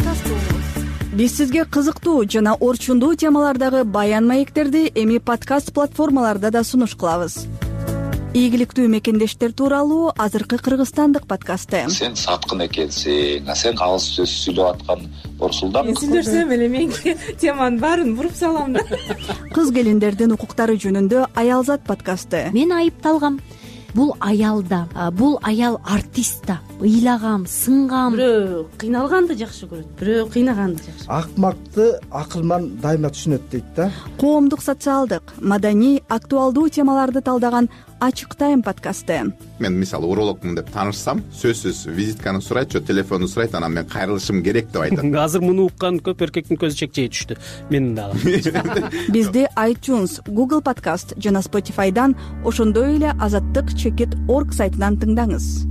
Биз сизге кызыктуу жана орчундуу темалардагы баян маектерди эми подкаст платформаларда да сунуш кылабыз. Ийгиликтүү мекендештер тууралуу азыркы кыргызстандык подкасты. Сен саткын экенсиң, сен алыс сөз сүйлөп аткан Орсулдан. Сүйлөсөм эле мен теманын баарын буруп салам да. Кыз келиндердин укуктары жөнүндө Аялзат подкасты. Мен айыпталгам. Бул аялда, бул аял артист да. Ыйлагам, сынгам. Бирөө кыйналганды жакшы көрөт, бирөө кыйнаганды жакшы. Акмакты акылман дайыма түшүнөт дейт да. Коомдук, социалдык, маданий, актуалдуу темаларды талдаган Ачык тайм подкасты. Мен мисалы урологмун деп таанышсам, сөзсүз визитканы сурайт, же телефонду сурайт, анан мен кайрылышым керек деп айтат. Азыр муну уккан көп эркектин көзү чекчей түштү. Менин дагы. Бизди iTunes, Google Podcast жана Spotify'дан, ошондой эле Азаттык.org сайтынан тыңдаңыз.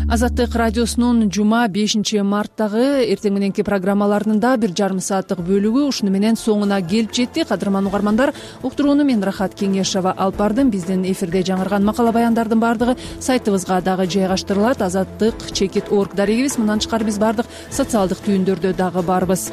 Азаттык радиосунун жума 5-марттагы эртең мененки программаларынын да 1,5 сааттык бөлүгү ушуну менен соңуна келип жетти. Кадырман угармандар, уктурууну мен Рахат Кеңешова алып бардым. Биздин эфирде жаңырган макала баяндардын баардыгы сайтыбызга дагы жайгаштырылат. Азаттык.org дарегибиз. Мындан тышкары биз баардык социалдык түйүндөрдө дагы барбыз.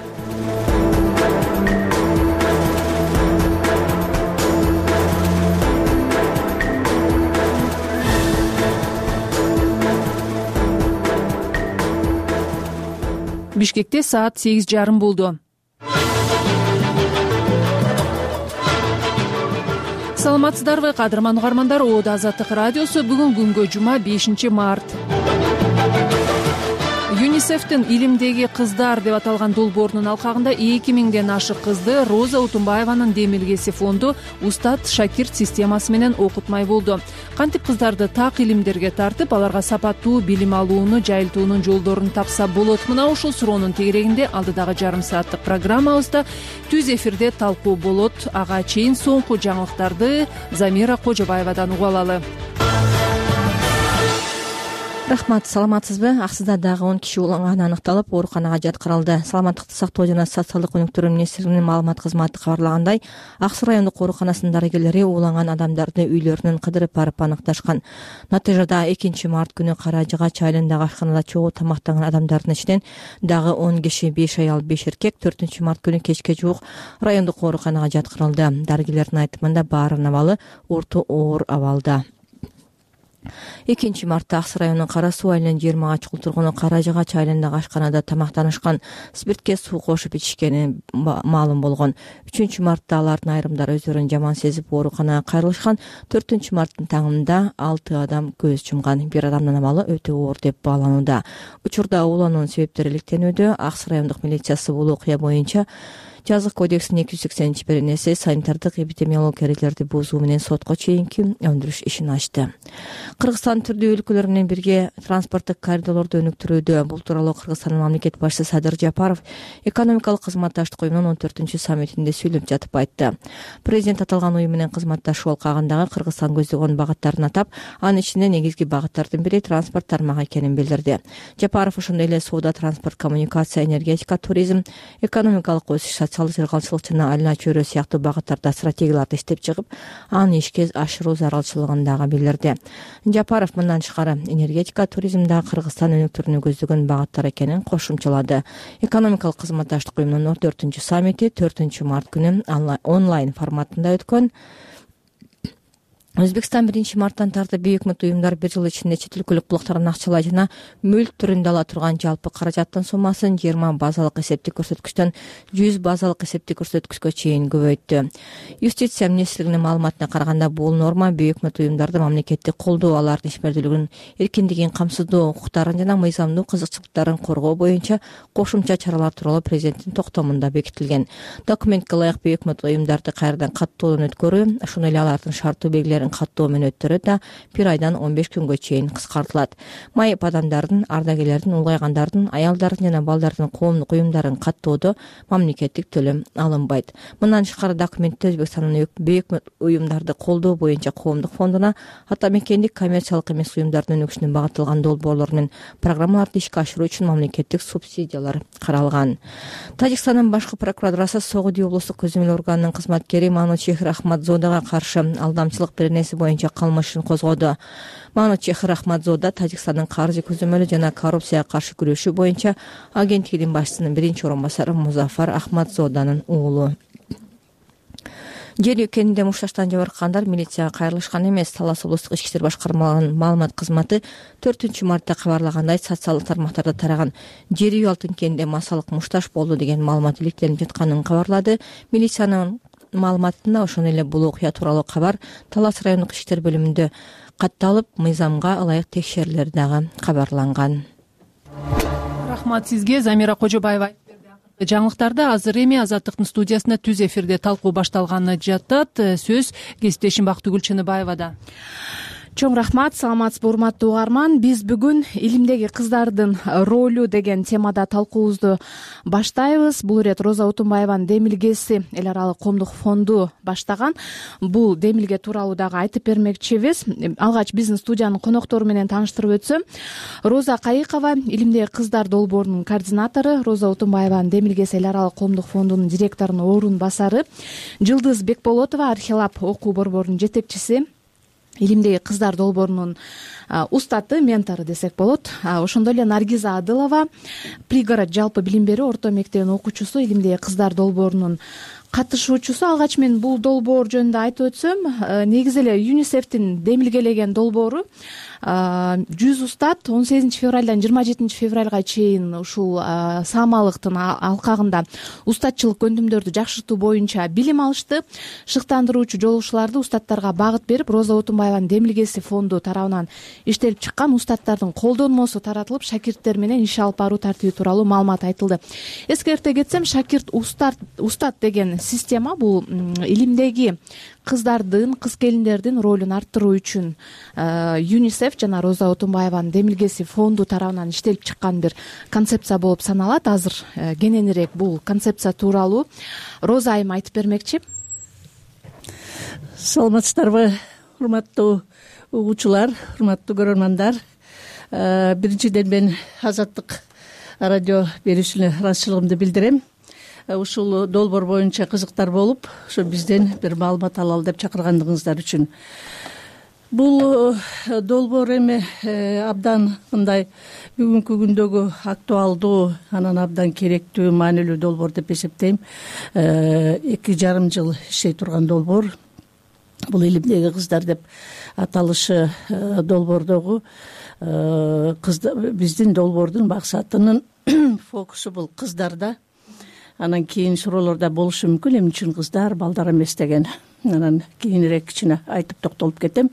Бишкекте саат 8:30 болду. Саламатсыздарбы, кадырман угармандар? Азаттык радиосу бүгүн күнгө жума 5-март. ЮНИСЕФтин илимдеги кыздар деп аталган долбоорунун алкагында 2000ден ашык кызды Роза Утунбаеванын демилгеси фонду Устат Шакирт системасы менен окутмай болду. Кантип кыздарды так илимдерге тартып, аларга сапаттуу билим алууну жайылтуунун жолдорун тапса болот? Мына ушул суроонун тегерегинде алдыдагы жарым сааттык программабызда түз эфирде талкуу болот. Ага чейин соңку жаңылыктарды Замира Кожобаевадан угуп алалы. Рахмат, саламатсызбы? Аксыда дагы 10 киши уланганы аныкталып, ооруканага жаткырылды. Саламаттыкты сактоо жана социалдык өнүктүрүү министрлигинин маалымат кызматы кабарлагандай, Ак Суу райондук ооруканасынын дарыгерлери ууланган адамдарды үйлөрүнөн кыдырып барып аныкташкан. Натыйжада 2-март күнү Кара Жыгач айылындагы ашканада чогуу тамактанган адамдардын ичинен дагы 10 киши, 5 аял, 5 эркек 4-март күнү кечке жуук райондук ооруканага жаткырылды. Дарыгерлердин айтымында баарынын абалы орто оор абалда. 2-мартта Ак Суу районунун Кара Суу айылынын 20 ачкыл тургуну Кара Жыгач айылындагы ашканада тамактанышкан, спиртке суу кошуп ичишкени маалым болгон. 3-мартта алардын айрымдары өздөрүн жаман сезип ооруканага кайрылышкан. 4-марттын таңында 6 адам көз жумган. Бир адамдын абалы өтө оор деп бааланууда. Учурда уулануунун себептери иликтенүүдө. Ак Суу райондук милициясы бул окуя боюнча Жазык кодексинин 280-беренеси санитардык эпидемиология эрежелерди бузуу менен сотко чейинки өндүрүш ишин ачты. Кыргызстан түрдүү өлкөлөр менен бирге транспорттук коридорлорду өнүктүрүүдө. Бул тууралуу Кыргызстандын мамлекет башчысы Садыр Жапаров экономикалык кызматташтык уюмунун 14-саммитинде сүйлөп жатып айтты. Президент аталган уюм менен кызматташуу алкагындагы Кыргызстан көздөгөн багыттарын атап, анын ичинде негизги багыттардын бири транспорт тармагы экенин билдирди. Жапаров ошондой эле соода, транспорт, коммуникация, энергетика, туризм, экономикалык өсүш, социалдык жыргалчылык жана айлана чөйрө сыяктуу багыттарда стратегияларды иштеп чыгып, аны ишке ашыруу зарылчылыгын дагы билдирди. Жапаров мындан тышкары энергетика, туризмде Кыргызстан өнүктүрүүнү көздөгөн багыттар экенин кошумчалады. Экономикалык кызматташтык уюмунун 4-саммити 4-март күнү онлайн форматында өткөн. Өзбекстан 1-марттан тартып бейөкмөт уюмдар 1 жыл ичинде чет өлкөлүк булактардын акчалай жана мүлк түрүндө ала турган жалпы каражаттын суммасын 20 базалык эсептик көрсөткүчтөн 100 базалык эсептик көрсөткүчкө чейин көбөйттү. Юстиция министрлигинин маалыматына караганда, бул норма бейөкмөт уюмдарды мамлекеттик колдоо, алардын ишмердүүлүгүнүн эркиндигин камсыздоо, укуктарын жана мыйзамдуу кызыкчылыктарын коргоо боюнча кошумча чаралар тууралуу президенттин токтомунда бекитилген. Документке ылайык бейөкмөт уюмдарды кайрадан каттоодон өткөрүү, ошондой эле алардын шарттуу белгилерин каттоо мөөнөттөрү да 1 айдан 15 күнгө чейин кыскартылат. Майып адамдардын, ардагерлердин, улгайгандардын, аялдардын жана балдардын коомдук уюмдарын каттоодо мамлекеттик төлөм алынбайт. Мындан тышкары документте Өзбекстандын бейөкмөт уюмдарды колдоо боюнча коомдук фондуна ата мекендик коммерциялык эмес уюмдардын өнүгүшүнө багытталган долбоорлор менен программаларды ишке ашыруу үчүн мамлекеттик субсидиялар каралган. Тажикстандын башкы прокуратурасы Согуди облустук көзөмөл органынын кызматкери Манучехир Ахмадзодага каршы алдамчылык беренеси боюнча кылмыш ишин козгоду. Манучехир Ахмадзода Тажикстандын каржы көзөмөлү жана коррупцияга каршы күрөшүү боюнча агенттигинин башчысынын 1-орун басары Музафар Ахмадзоданын уулу. Жер экенинден мушташтан жабыркагандар милицияга кайрылышкан эмес. Талас облустук ички иштер башкармалыгынын маалымат кызматы 4-мартта кабарлагандай, социалдык тармактарда тараган жер үй алтын кенинде массалык мушташ болду деген маалымат иликтелип жатканын кабарлады. Милициянын маалыматында ошондой эле бул окуя тууралуу кабар Талас райондук ички иштер бөлүмүндө катталып, мыйзамга ылайык текшерүүлөр дагы кабарланган. Рахмат сизге, Замира Кожобаева. Жаңылыктарда азыр эми Азаттыктын студиясында түз эфирде талкуу башталганы жатат. Сөз кесиптешим Бактыгүл Чыныбаевада. чоң рахмат. Саламатсызбы урматтуу угарман. Биз бүгүн илимдеги кыздардын ролу деген темада талкуубузду баштайбыз. Бул ирет Роза Отунбаеванын демилгеси эл аралык коомдук фонду баштаган. Бул демилге тууралуу дагы айтып бермекчибиз. Алгач биздин студиянын коноктору менен тааныштырып өтсөм, Роза Кайыкова илимдеги кыздар долбоорунун координатору, Роза Отунбаеванын демилгеси эл аралык коомдук фондунун директорунун орун басары, Жылдыз Бекболотова Архилаб окуу борборунун жетекчиси, илимдеги кыздар долбоорунун устаты, ментору десек болот. Ошондой эле Наргиза Адылова, Пригород жалпы билим берүү орто мектебинин окуучусу, илимдеги кыздар долбоорунун катышуучусу. Алгач мен бул долбоор жөнүндө айтып өтсөм, негизи эле ЮНИСЕФтин демилгелеген долбоору 100 устат 18 февралдан 27 февралга чейин ушул саамалыктын алкагында устатчылык көндүмдөрдү жакшыртуу боюнча билим алышты. Шыктандыруучу жолугушууларды устаттарга багыт берип, Роза Отунбаеванын демилгеси фонду тарабынан иштелип чыккан устаттардын колдонмосу таратылып, шакирттер менен иш алып баруу тартиби тууралуу маалымат айтылды. Эскерте кетсем, шакирт устат деген система бул илимдеги кыздардын, кыз келиндердин ролун арттыруу үчүн ЮНИСЕФ жана Роза Отунбаеванын демилгеси фонду тарабынан иштелип чыккан бир концепция болуп саналат. Азыр кененирээк бул концепция тууралуу Роза айым айтып бермекчи. Саламатсыздарбы, урматтуу угуучулар, урматтуу көрөрмандар. Биринчиден мен Азаттык радио берүүсүнө ыраазычылыгымды билдирем. Ушул долбоор боюнча кызыктар болуп, ошо бизден бир маалымат алалы деп чакыргандыгыңыздар үчүн. Бул долбоор эми абдан мындай бүгүнкү күндөгү актуалдуу, анан абдан керектүү, маанилүү долбоор деп эсептейм. 2,5 жыл иштей турган долбоор. Бул илимдеги кыздар деп аталышы долбоордогу биздин долбоордун максатынын фокусу бул кыздарда. Анан кийин суроолордо болушу мүмкүн, эмне үчүн кыздар, балдар эмес деген. Анан кийинирээк кичине айтып токтолуп кетем.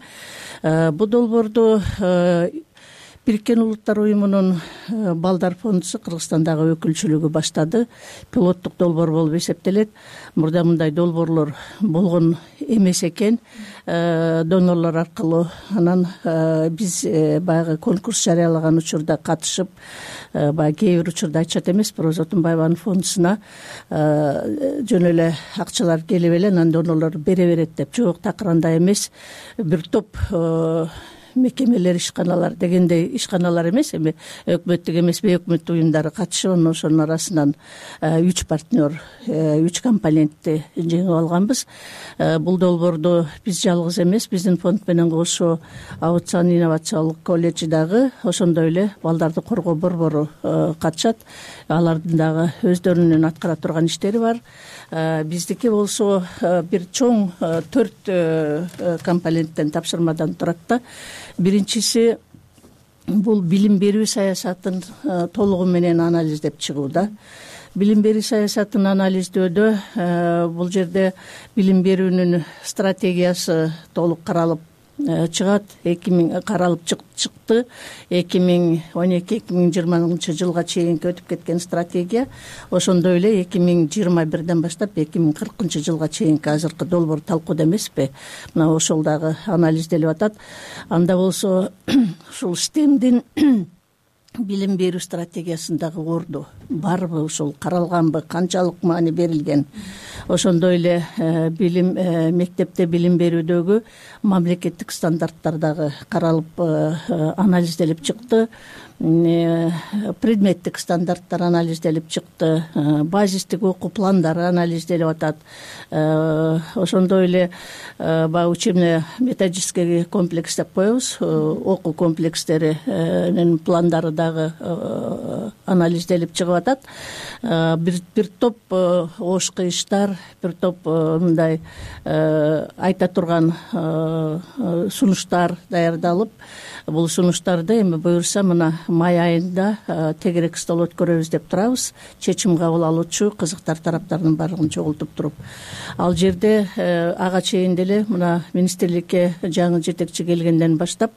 Бул долбоорду Бириккен Улуттар уюмунун балдар фондусу Кыргызстандагы өкүлчүлүгү баштады. Пилоттук долбоор болуп эсептелет. Мурда мындай долбоорлор болгон эмес экен. Донорлор аркылуу анан биз баягы конкурс жарыялаган учурда катышып, баягы кээ бир учурда айтышат эмеспи, Роза Отунбаеванын фондусуна жөн эле акчалар келип эле анан донорлор бере берет деп. Жок, такыр андай эмес. Бир топ мекемелер, ишканалар дегендей, ишканалар эмес, эми өкмөттүк эмес, бейөкмөттүк уюмдары катышып, ошонун арасынан 3 партнер, 3 компонентти жеңип алганбыз. Бул долбоорду биз жалгыз эмес, биздин фонд менен кошо Аутсан инновациялык колледжи дагы, ошондой эле балдарды коргоо борбору катышат. Алардын дагы өздөрүнүн аткара турган иштери бар. Биздики болсо бир чоң 4 компоненттен, тапшырмадан турат да. Биринчиси бул билим берүү саясатын толугу менен анализдеп чыгуу да. Билим берүү саясатын анализдөөдө бул жерде билим берүүнүн стратегиясы толук каралып чыгат. 2000 каралып чыкты. 2012-2020 жылга чейинки өтүп кеткен стратегия. Ошондой эле 2021ден баштап 2040 жылга чейинки азыркы долбоор талкууда эмеспи? Мына ошол дагы анализделип атат. Анда болсо ушул STEMдин билим берүү стратегиясындагы орду барбы, ушул каралганбы, канчалык маани берилген? Ошондой эле билим мектепте билим берүүдөгү мамлекеттик стандарттар дагы каралып анализделип чыкты. Предметтик стандарттар анализделип чыкты, базистик окуу пландары анализделип атат. Ошондой эле баягы учебно-методический комплекс деп коебуз, окуу комплекстеринин пландары дагы анализделип чыгып атат. Бир топ ош кыйыштар, бир топ мындай айта турган сунуштар даярдалып, бул сунуштарды эми буюрса мына май айында тегерек стол өткөрөбүз деп турабыз. Чечим кабыл алуучу кызыктар тараптардын баардыгын чогултуп туруп, ал жерде ага чейин деле мына министрликке жаңы жетекчи келгенден баштап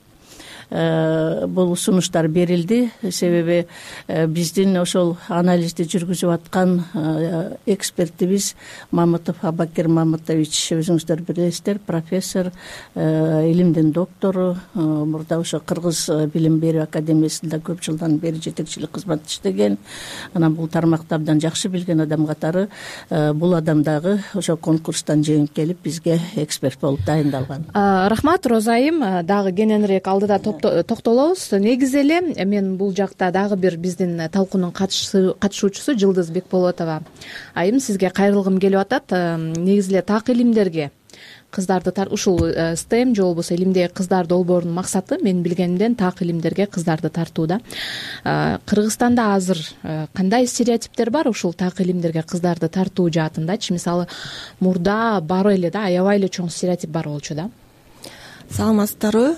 бул сунуштар берилди. Себеби биздин ошол анализди жүргүзүп аткан экспертибиз Мамытов Абакир Мамытович, өзүңүздөр билесиздер, профессор, илимдин доктору, мурда ошо Кыргыз билим берүү академиясында көп жылдан бери жетекчилик кызмат иштеген. Анан бул тармакты абдан жакшы билген адам катары бул адам дагы ошо конкурстан жеңип келип бизге эксперт болуп дайындалган. Рахмат Роза айым. Дагы кененирээк алдыда токтолобуз. Негизи эле мен бул жакта дагы бир биздин талкуунун катышуучусу Жылдыз Бекболотова айым сизге кайрылгым келип атат. Негизи эле так илимдерге кыздарды ушул STEM же болбосо илимдеги кыздар долбоорунун максаты мен билгенимден так илимдерге кыздарды тартууда. Кыргызстанда азыр кандай стереотиптер бар ушул так илимдерге кыздарды тартуу жаатындачы? Мисалы мурда бар эле да, аябай эле чоң стереотип бар болчу да. Саламатсыздарбы,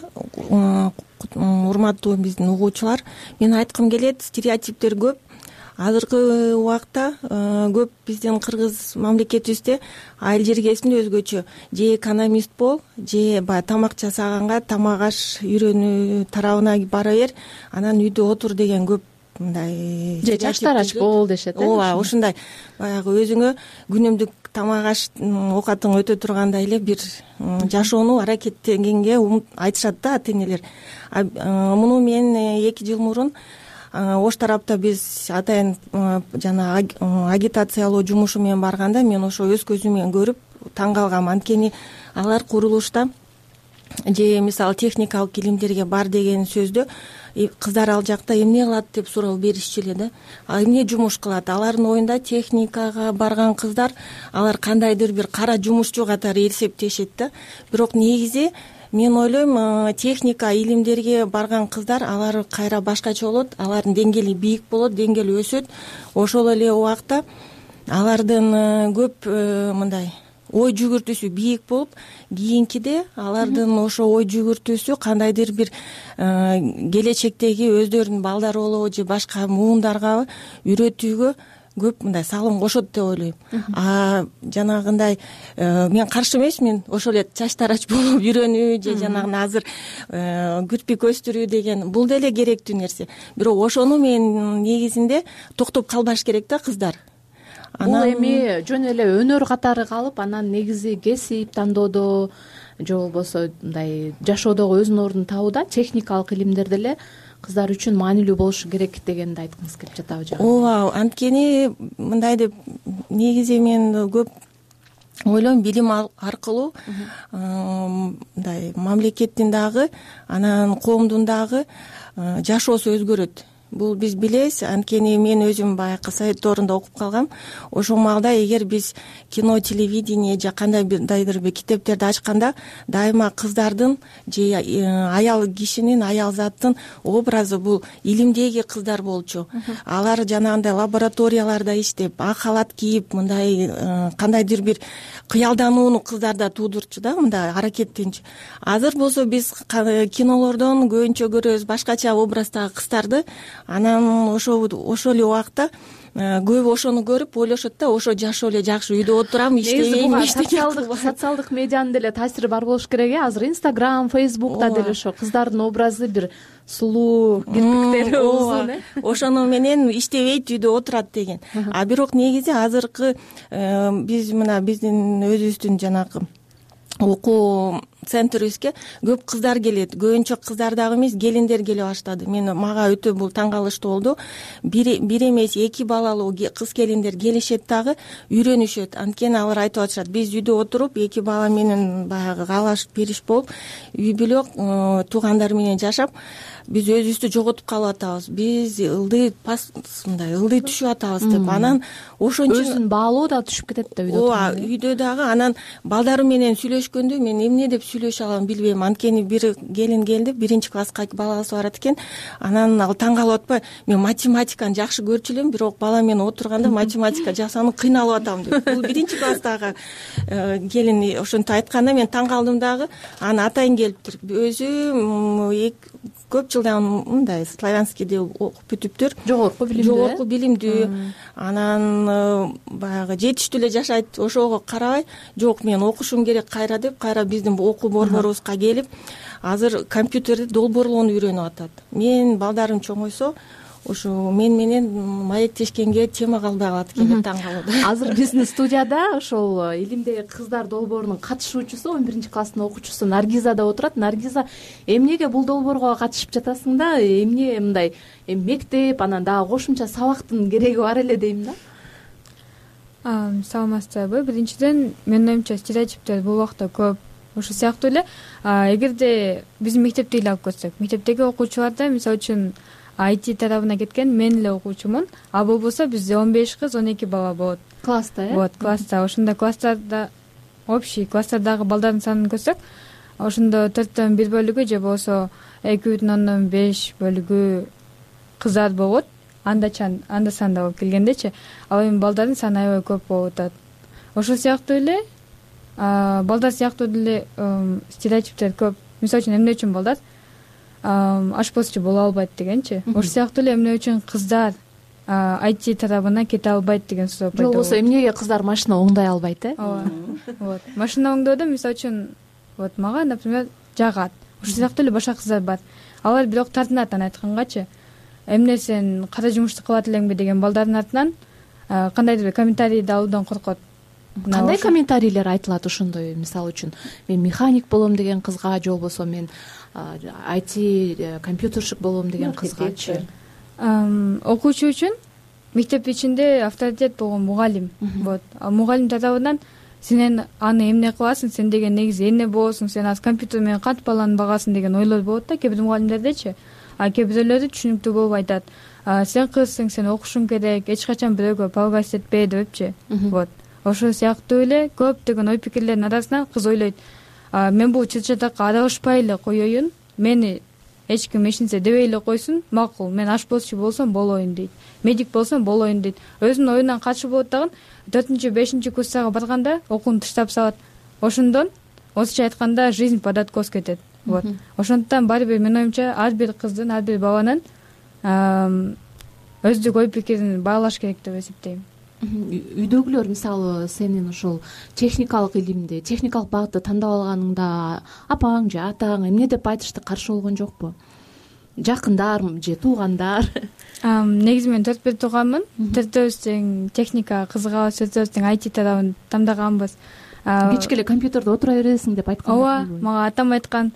урматтуу биздин угуучулар. Мен айткым келет, стереотиптер көп. Азыркы убакта көп биздин кыргыз мамлекетибизде айыл жергесинде өзгөчө же экономист бол, же баягы тамак жасаганга тамак аш үйрөнүү тарабына бара бер, анан үйдө отур деген көп мындай же жаштарач бол дешет. Ооба, ошондой баягы өзүңө күнүмдүк тамак аш оокатың өтө тургандай эле бир жашоону аракеттенгенге айтышат да ата энелер. Муну мен 2 жыл мурун ош тарапта биз атайын жана агитациялоо жумушу менен барганда мен ошо өз көзүм менен көрүп таң калгам. Анткени алар курулушта же мисалы техникалык илимдерге бар деген сөздө кыздар ал жакта эмне кылат деп суроо беришчү эле да. Эмне жумуш кылат? Алардын оюнда техникага барган кыздар алар кандайдыр бир кара жумушчу катары эсептешет да. Бирок негизи мен ойлойм, техника илимдерге барган кыздар алар кайра башкача болот, алардын деңгээли бийик болот, деңгээли өсөт. Ошол эле убакта алардын көп мындай ой жүгүртүүсү бийик болуп, кийинкиде алардын ошо ой жүгүртүүсү кандайдыр бир келечектеги өздөрүнүн балдары болобу же башка муундарга үйрөтүүгө көп мындай салым кошот деп ойлойм. Жанагындай мен каршы эмесмин, ошол эле чачтарач болуп үйрөнүү же жанагы азыр кирпик өстүрүү деген бул деле керектүү нерсе. Бирок ошону мен негизинде токтоп калбаш керек да кыздар. Бул эми жөн эле өнөр катары калып, анан негизи кесип тандоодо же болбосо мындай жашоодогу өзүнүн ордун табууда техникалык илимдер деле кыздар үчүн маанилүү болушу керек дегенди айткыңыз келип жатабы жок? Ооба, анткени мындай деп негизи мен көп ойлойм, билим аркылуу мындай мамлекеттин дагы анан коомдун дагы жашоосу өзгөрөт. Бул биз билебиз, анткени мен өзүм баягы совет доорунда окуп калгам. Ошол маалда эгер биз кино, телевидение же кандайдыр бир китептерди ачканда дайыма кыздардын же аял кишинин, аял заттын образы бул илимдеги кыздар болчу. Алар жанагындай лабораторияларда иштеп, ак халат кийип, мындай кандайдыр бир кыялданууну кыздарда туудурчу да, мындай аракеттенчү. Азыр болсо биз кинолордон көбүнчө көрөбүз башкача образдагы кыздарды. Анан ошол эле убакта көбү ошону көрүп ойлошот да, ошо жашоо эле жакшы, үйдө отурам, иштебейм. Социалдык медианын деле таасири бар болуш керек. Азыр Instagram, Facebook'та деле ошо кыздардын образы бир сулуу, кирпиктери узун. Ошону менен иштебейт, үйдө отурат деген. Бирок негизи азыркы биз мына биздин өзүбүздүн жанагы окуу центрибизге көп кыздар келет. Көбүнчө кыздар дагы эмес, келиндер келе баштады. Мага өтө бул таң калыштуу болду. Бир эмес 2 балалуу кыз келиндер келишет дагы үйрөнүшөт. Анткени алар айтып атышат, биз үйдө отуруп 2 бала менен баягы каалаш бериш болуп, үй бүлө туугандар менен жашап, биз өзүбүздү жоготуп калып атабыз. Биз ылдый түшүп атабыз деп. Анан ошон үчүн өзүн баалоо да түшүп кетет да үйдө. Ооба, үйдө дагы анан балдары менен сүйлөшкөндө мен эмне деп сүйлөшө алам билбейм. Анткени бир келин келди, 1-класска баласы барат экен. Анан ал таң калып атпайбы, мен математиканы жакшы көрчү элем, бирок бала менен отурганда математика жасанып кыйналып атам деп. Бул 1-класстагы келин ошентип айтканда мен таң калдым дагы. Анан атайын келиптир. Өзү көп жылдан мындай славянскийде окуп бүтүптүр. Жогорку билимдүү. Анан баягы жетиштүү эле жашайт. Ошого карабай, жок мен окушум керек кайра деп, кайра биздин окуу борборубузга келип, азыр компьютерде долбоорлоону үйрөнүп атат. Мен балдарым чоңойсо ушу мен менен маектешкенге тема калбай калат экен деп таң калып. Азыр биздин студияда ошол илимдеги кыздар долбоорунун катышуучусу 11-класстын окуучусу Наргиза да отурат. Наргиза, эмнеге бул долбоорго катышып жатасың да? Эмне мындай мектеп, анан дагы кошумча сабактын кереги бар эле дейм да? Саламатсыздарбы? Биринчиден, менин оюмча стереотиптер бул убакта көп. Ошол сыяктуу эле эгерде биздин мектепти эле алып көрсөк, мектептеги окуучуларда мисалы үчүн IT тарабына кеткен мен эле окуучумун, а болбосо бизде 15 кыз, 12 бала болот. Класста, Вот, класста. Ошондо класстарда общий класстардагы балдардын санын көрсөк, ошондо 4төн 1 бөлүгү же болбосо 2,5 бөлүгү кыздар болот. Анда санда болуп келгендечи. Ал эми балдардын саны аябай көп болуп атат. Ошол сыяктуу эле балдар сыяктуу деле стереотиптер көп. Мисалы үчүн эмне үчүн балдар ашпозчу боло албайт дегенчи. Ошол сыяктуу эле эмне үчүн кыздар IT тарабына кете албайт деген сөз пайда болот. Болбосо эмнеге кыздар машина оңдой албайт, ооба. Вот. Машина оңдоодо мисалы үчүн вот мага, например, жагат. Ошол сыяктуу эле башка кыздар бар. Алар бирок тартынат аны айткангачы. Эмне сен кара жумушту кылат элеңби деген балдардын артынан кандайдыр бир комментарийди алуудан коркот. Кандай комментарийлер айтылат ошондой? Мисалы үчүн мен механик болом деген кызга, же болбосо мен IT компьютерщик болом деген кызгачы. Окуучу үчүн мектеп ичинде авторитет болгон мугалим. Вот. Ал мугалим тарабынан сен аны эмне кыласың, сен деген негизи эмне болосуң, сен азыр компьютер менен кантип баланы багасың деген ойлор болот да кээ бир мугалимдердечи. А кээ бирөөлөрү түшүнүктүү болуп айтат. Сен кызсың, сен окушуң керек, эч качан бирөөгө палгас этпе депчи. Вот. Ошол сыяктуу эле көптөгөн ой пикирлердин арасынан кыз ойлойт, мен бул чыр-чатакка аралашпай эле коеюн, мени эч ким эчинсе дебей эле койсун, макул, мен ашпозчу болсом болоюн дейт, медик болсом болоюн дейт. Өзүнүн оюнан качып болот дагы 4-5 курстага барганда окууну таштап салат. Ошондон орусча айтканда жизнь под откос кетет. Вот. Ошондуктан баары бир менин оюмча ар бир кыздын, ар бир баланын өздүк ой пикирин баалаш керек деп эсептейм. Үйдөгүлөр мисалы сенин ушул техникалык илимди, техникалык багытты тандап алганыңда апаң же атаң эмне деп айтышты, каршы болгон жокпу? Жакындар же туугандар? Негизи мен 4 тууганмын. 4-өбүз тең техника кызыгабыз, 4-өбүз тең IT тарабын тандагамбыз. Кечке эле компьютерде отура бересиң деп айткан. Ооба, мага атам айткан.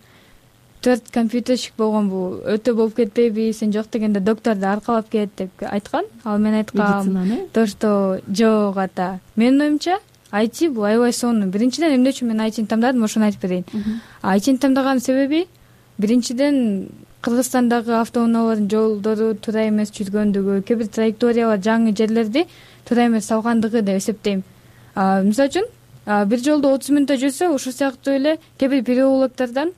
4 компьютерщик болгон бул өтө болуп кетпейби, сен жок дегенде докторду аркалап кет деп айткан. Ал мен айткам, то что жок ата. Менин оюмча IT бул аябай сонун. Биринчиден эмне үчүн мен ITни тандадым, ошону айтып берейин. ITни тандаган себеби биринчиден Кыргызстандагы автоунаалардын жолдору туура эмес жүргөндүгү, кээ бир траекториялар жаңы жерлерди туура эмес салгандыгы деп эсептейм. Мисалы үчүн бир жолдо 30 мүнөттө жүрсө, ошол сыяктуу эле кээ бир переулоктардан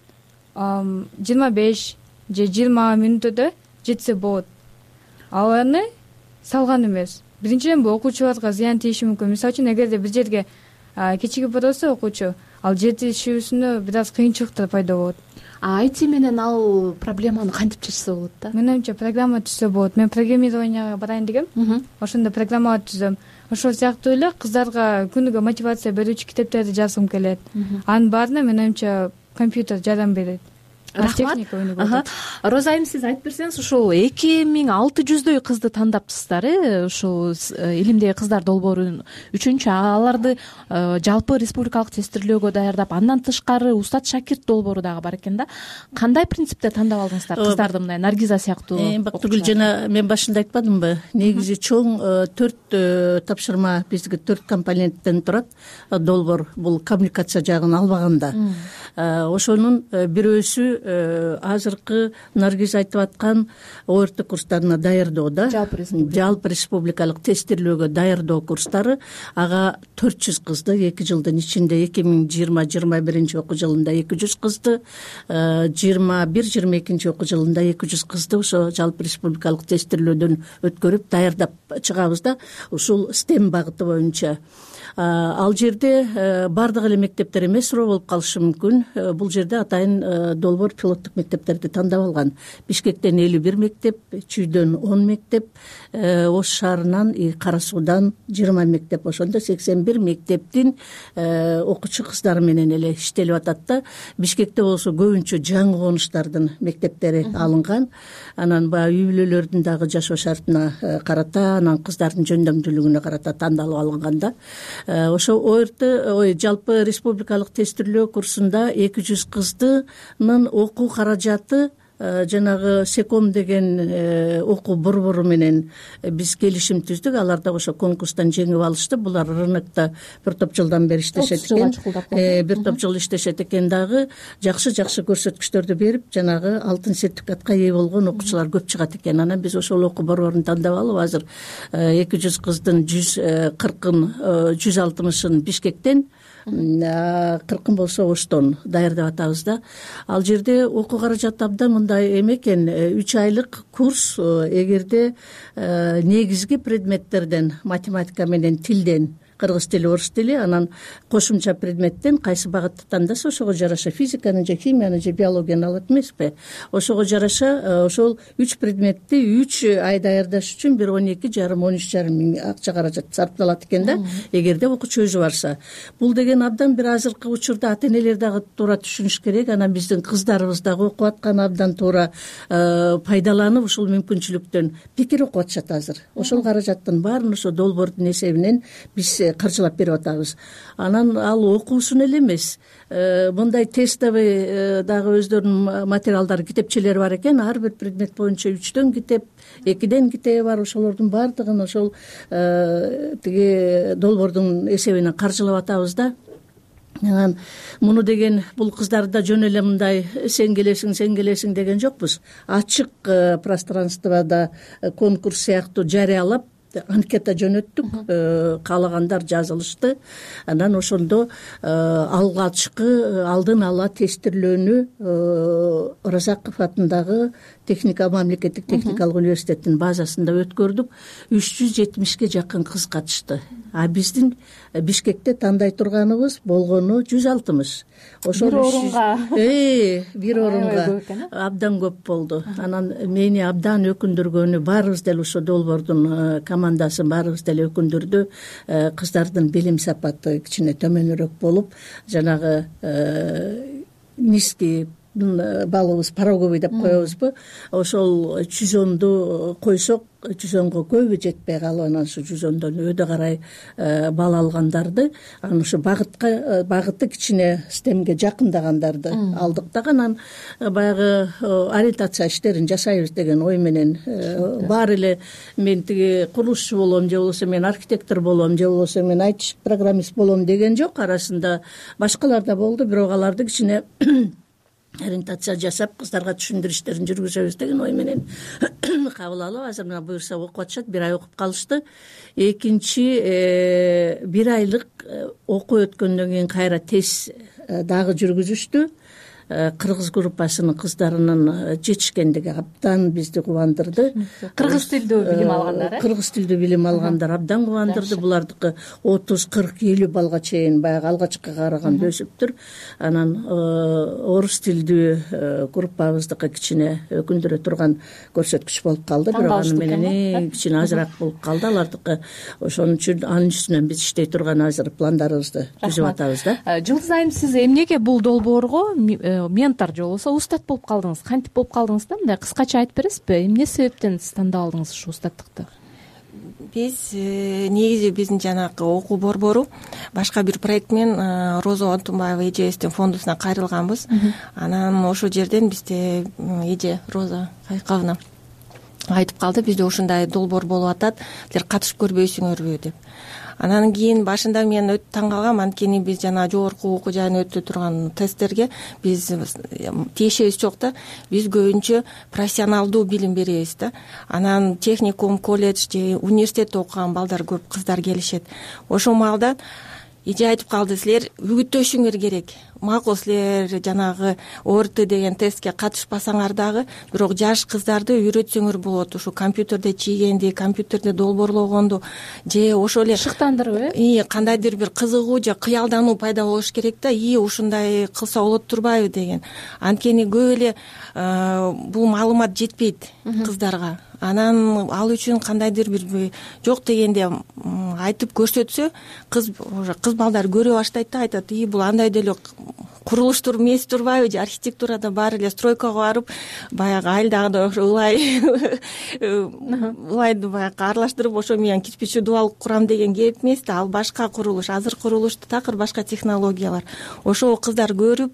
25 же 20 мүнөттө жетсе болот. Ал аны салган эмес. Биринчиден бул окуучуларга зыян тийиши мүмкүн. Мисалы үчүн эгерде бир жерге кечигип барса окуучу, ал жетишүүсүнө бир аз кыйынчылыктар пайда болот. IT менен ал проблеманы кантип чечсе болот да? Менин оюмча программа түзсө болот. Мен программированияга барайын дегем. Ошондо программа түзөм. Ошол сыяктуу эле кыздарга күнүгө мотивация берүүчү китептерди жазгым келет. Анын баарына менин оюмча компьютер жардам берет. Рахмат. Роза айым, сиз айтып берсеңиз, ушул 2600дөй кызды тандаптырсыздар, ушул илимдеги кыздар долбоору үчүнчү. Аларды жалпы республикалык тестирлөөгө даярдап, андан тышкары устат шакирт долбоору дагы бар экен да. Кандай принципте тандап алдыңыздар кыздарды, мындай Наргиза сыяктуу? Бактыгүл, жана мен башында айтпадымбы? Негизи чоң 4 тапшырма, бизге 4 компоненттен турат долбоор. Бул коммуникация жагын албаганда. Ошонун бирөөсү азыркы Наргиз айтып аткан орто курстарына даярдоо да, жалпы республикалык тестирлөөгө даярдоо курстары. Ага 400 кызды 2 жылдын ичинде 2020-21 окуу жылында 200 кызды, 21-22 окуу жылында 200 кызды ошо жалпы республикалык тестирлөөдөн өткөрүп даярдап чыгабыз да, ушул STEM багыты боюнча. Ал жерде бардык эле мектептер эмес, суроо болуп калышы мүмкүн. Бул жерде атайын долбоор долбоор пилоттук мектептерди тандап алган. Бишкектен 51 мектеп, Чүйдөн 10 мектеп, Ош шаарынан Кара Суудан 20 мектеп, ошондо 81 мектептин окуучу кыздары менен эле иштелип атат да. Бишкекте болсо көбүнчө жаңы конуштардын мектептери алынган. Анан баягы үй бүлөлөрдүн дагы жашоо шартына карата, анан кыздардын жөндөмдүүлүгүнө карата тандалып алынган да. Ошо жалпы республикалык тестирлөө курсунда 200 кыздынын окуу каражаты жанагы Секом деген окуу борбору менен биз келишим түздүк. Алар да ошо конкурстан жеңип алышты. Булар рынокто бир топ жылдан бери иштешет экен. Бир топ жыл иштешет экен дагы. Жакшы көрсөткүчтөрдү берип, жанагы алтын сертификатка ээ болгон окуучулар көп чыгат экен. Анан биз ошол окуу борборун тандап алып, азыр 200 кыздын 140ын 160ын Бишкектен, 40 болсо Оштон даярдап атабыз да. Ал жерде окуу каражаты абдан мындай эме экен, 3 айлык курс. Эгерде негизги предметтерден, математика менен тилден, кыргыз тили, орус тили, анан кошумча предметтен кайсы багытты тандаса, ошого жараша физиканы же химияны же биологияны алат эмеспи. Ошого жараша ошол 3 предметти 3 ай даярдаш үчүн 12,5–13,5 миң акча каражат сарпталат экен да, эгерде окуучу өзү барса. Бул деген абдан бир азыркы учурда ата-энелер дагы туура түшүнүш керек. Анан биздин кыздарыбыз дагы окуп аткан, абдан туура пайдаланып ушул мүмкүнчүлүктөн бекер окуп атышат азыр. Ошол каражаттын баарын ошо долбоордун эсебинен биз каржылап берип атабыз. Анан ал окуусун эле эмес, мындай тестовый дагы өздөрүнүн материалдары, китепчелери бар экен. Ар бир предмет боюнча 3дөн китеп, 2ден китеби бар. Ошолордун баардыгын ошол тиги долбоордун эсебинен каржылап атабыз да. Анан муну деген бул кыздарды жөн эле мындай сен келесиң деген жокпуз. Ачык пространствода конкурс сыяктуу жарыялап анкета жөнөттүк, каалагандар жазылышты. Анан ошондо алгачкы алдын ала тестирлөөнү Оразаков атындагы мамлекеттик техникалык университеттин базасында өткөрдүк. 370ге жакын кыз катышты. А биздин Бишкекте тандай турганыбыз болгону 160. Ошол бир орунга абдан көп болду. Анан мени абдан өкүндүргөнү, баарыбыз деле ошо долбоордун командасын баарыбыз деле өкүндүрдү. Кыздардын билим сапаты кичине төмөнүрөөк болуп, жанагы низкий балыбыз пороговый деп коебузбу, ошол 110ду койсок 110го көбү жетпей калып, анан ушу 110дон өйдө карай бал алгандарды, анан ушу багыты кичине стемге жакындагандарды алдык да. Анан баягы ориентация иштерин жасайбыз деген ой менен баары эле мен тиги курулушчу болом, же болбосо мен архитектор болом, же болбосо мен IT программист болом деген жок. Арасында башкалар да болду, бирок аларды кичине ориентация жасап кыздарга түшүндүрүү иштерин жүргүзөбүз деген ой менен кабыл алып, азыр мына буюрса окуп атышат. 1 ай окуп калышты. Экинчи 1 айлык окуу өткөндөн кийин кайра тест дагы жүргүзүштү. Кыргыз группасынын кыздарынын жетишкендиги абдан бизди кубандырды. Кыргыз тилдүү билим алгандар, Кыргыз тилдүү билим алгандар абдан кубандырды. Булардыкы 30, 40, 50 балга чейин баягы алгачкыга караганда өсүптүр. Анан орус тилдүү группабыздыкы кичине өкүндүрө турган көрсөткүч болуп калды. Бирок аны менен кичине азыраак болуп калды алардыкы. Ошон үчүн анын үстүнөн биз иштей турган азыр пландарыбызды түзүп атабыз да. Жылдыз айым, сиз эмнеге бул долбоорго ментор же болбосо устат болуп калдыңыз? Кантип болуп калдыңыз да? Мындай кыскача айтып бересизби? Эмне себептен сиз тандап алдыңыз ушу устаттыкты? Биз негизи биздин жанагы окуу борбору башка бир проект менен Роза Отунбаева эжебиздин фондусуна кайрылганбыз. Анан ошол жерден бизде эже Роза Кайкабовна айтып калды, бизде ушундай долбоор болуп атат, силер катышып көрбөйсүңөрбү деп. Анан кийин башында мен өтө таң калгам, анткени биз жана жогорку окуу жайына өтө турган тесттерге биз тиешебиз жок да. Биз көбүнчө профессионалдуу билим беребиз да. Анан техникум, колледж же университетте окуган балдар көп кыздар келишет. Ошол маалда эже айтып калды, силер үгүттөшүңөр керек. Макул, силер жанагы ОРТ деген тестке катышпасаңар дагы, бирок жаш кыздарды үйрөтсөңөр болот. Ушу компьютерде чийгенди, компьютерде долбоорлогонду же ошол эле шыктандырып кандайдыр бир кызыгуу же кыялдануу пайда болуш керек да, ушундай кылса болот турбайбы деген. Анткени көп эле бул маалымат жетпейт кыздарга. Анан ал үчүн кандайдыр бир жок дегенде айтып көрсөтсө, кыз балдар көрө баштайт да, айтат, бул андай деле курулуштур эмес турбайбы, же архитектурада баары эле стройкага барып, баягы айылдагыдай ошо ылайды баягы аралаштырып, ошо менен кирпичи дубал курам деген кеп эмес да. Ал башка курулуш, азыр курулушту такыр башка технологиялар. Ошого кыздар көрүп,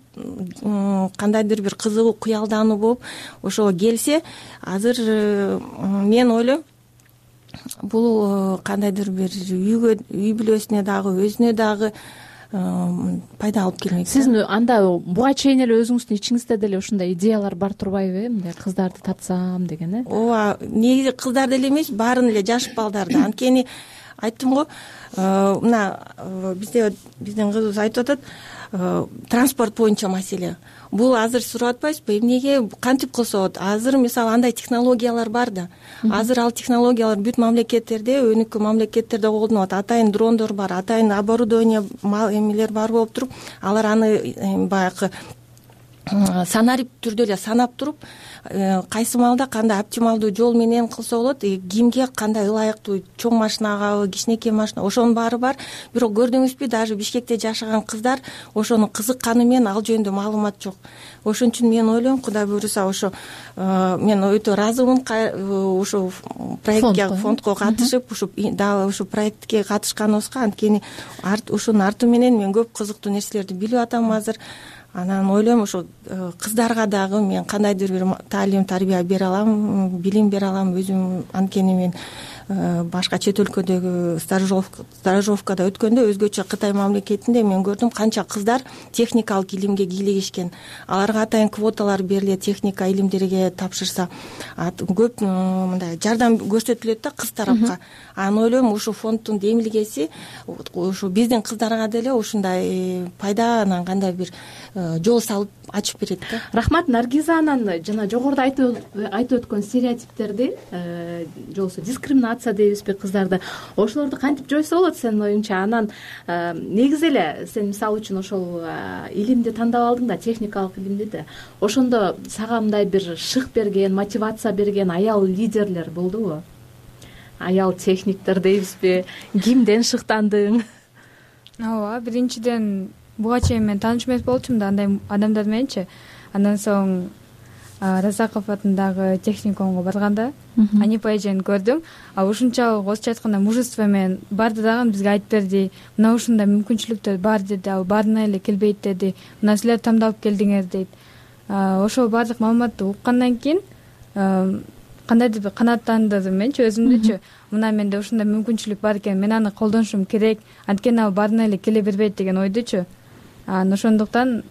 кандайдыр бир кызыгуу, кыялдануу болуп ошого келсе, азыр мен ойлойм, бул кандайдыр бир үй бүлөсүнө дагы, өзүнө дагы пайда алып келмек. Сиз анда буга чейин эле өзүңүздүн ичиңизде деле ушундай идеялар бар турбайбы, мындай кыздарды тапсам деген? Ооба, негизи кыздар деле эмес, баарын эле жаш балдарды. Анткени айттым го, мына биздин кызыбыз айтып атат, транспорт боюнча маселе. Бул азыр сурап атпайсызбы, эмнеге, кантип кылса болот? Азыр мисалы андай технологиялар бар да. Азыр ал технологиялар бүт мамлекеттерде, өнүккөн мамлекеттерде колдонулат. Атайын дрондор бар, атайын оборудование эмелер бар болуп туруп, алар аны баягы санарип түрдө эле санап туруп, кайсы маалда кандай оптималдуу жол менен кылса болот, кимге кандай ылайыктуу, чоң машинагабы, кичинекей машина, ошонун баары бар. Бирок көрдүңүзбү, даже Бишкекте жашаган кыздар ошону кызыкканы менен ал жөнүндө маалымат жок. Ошон үчүн мен ойлойм, Кудай буйруса, ошо мен өтө ыраазымын ушу проектке, фондко катышып, дагы ушу проектке катышканыбызга. Анткени ушунун арты менен мен көп кызыктуу нерселерди билип атам азыр. Анан ойлойм, ошо кыздарга дагы мен кандайдыр бир таалим, тарбия бере алам, билим бере алам өзүм. Анткени мен башка чет өлкөдөгү стажировкада өткөндө, өзгөчө Кытай мамлекетинде мен көрдүм канча кыздар техникалык илимге кийлигишкен. Аларга атайын квоталар берилет, техника илимдерге тапшырса. Көп мындай жардам көрсөтүлөт да кыз тарапка. Анан ойлойм, ушу фонддун демилгеси ушу биздин кыздарга деле ушундай пайда, анан кандай бир жол салып ачып берет да. Рахмат, Наргиза анан жана жогоруда айтып өткөн стереотиптерди, же болбосо дискриминация дейбизби кыздарды, ошолорду кантип жойсо болот сенин оюңча? Анан негизи эле сен мисалы үчүн ошол илимди тандап алдың да, техникалык илимди да. Ошондо сага мындай бир шык берген, мотивация берген аял лидерлер болдубу? Аял техниктер дейбизби? Кимден шыктандың? Ооба, биринчиден буга чейин мен тааныш эмес болчумун да андай адамдар мененчи. Андан соң Разаков атындагы техникумга барганда Анипа эжени көрдүм. Ушунчалык орусча айтканда мужество менен барды дагы бизге айтып берди. Мына ушундай мүмкүнчүлүктөр бар деди, ал баарына эле келбейт деди. Мына силер тандап келдиңер дейт. Ошол баардык маалыматты уккандан кийин кандайдыр бир канааттандырдым менчи өзүмдүчү. Мына менде ушундай мүмкүнчүлүк бар экен, мен аны колдонушум керек. Анткени ал баарына эле келе бербейт деген ойдучу. Ошондуктан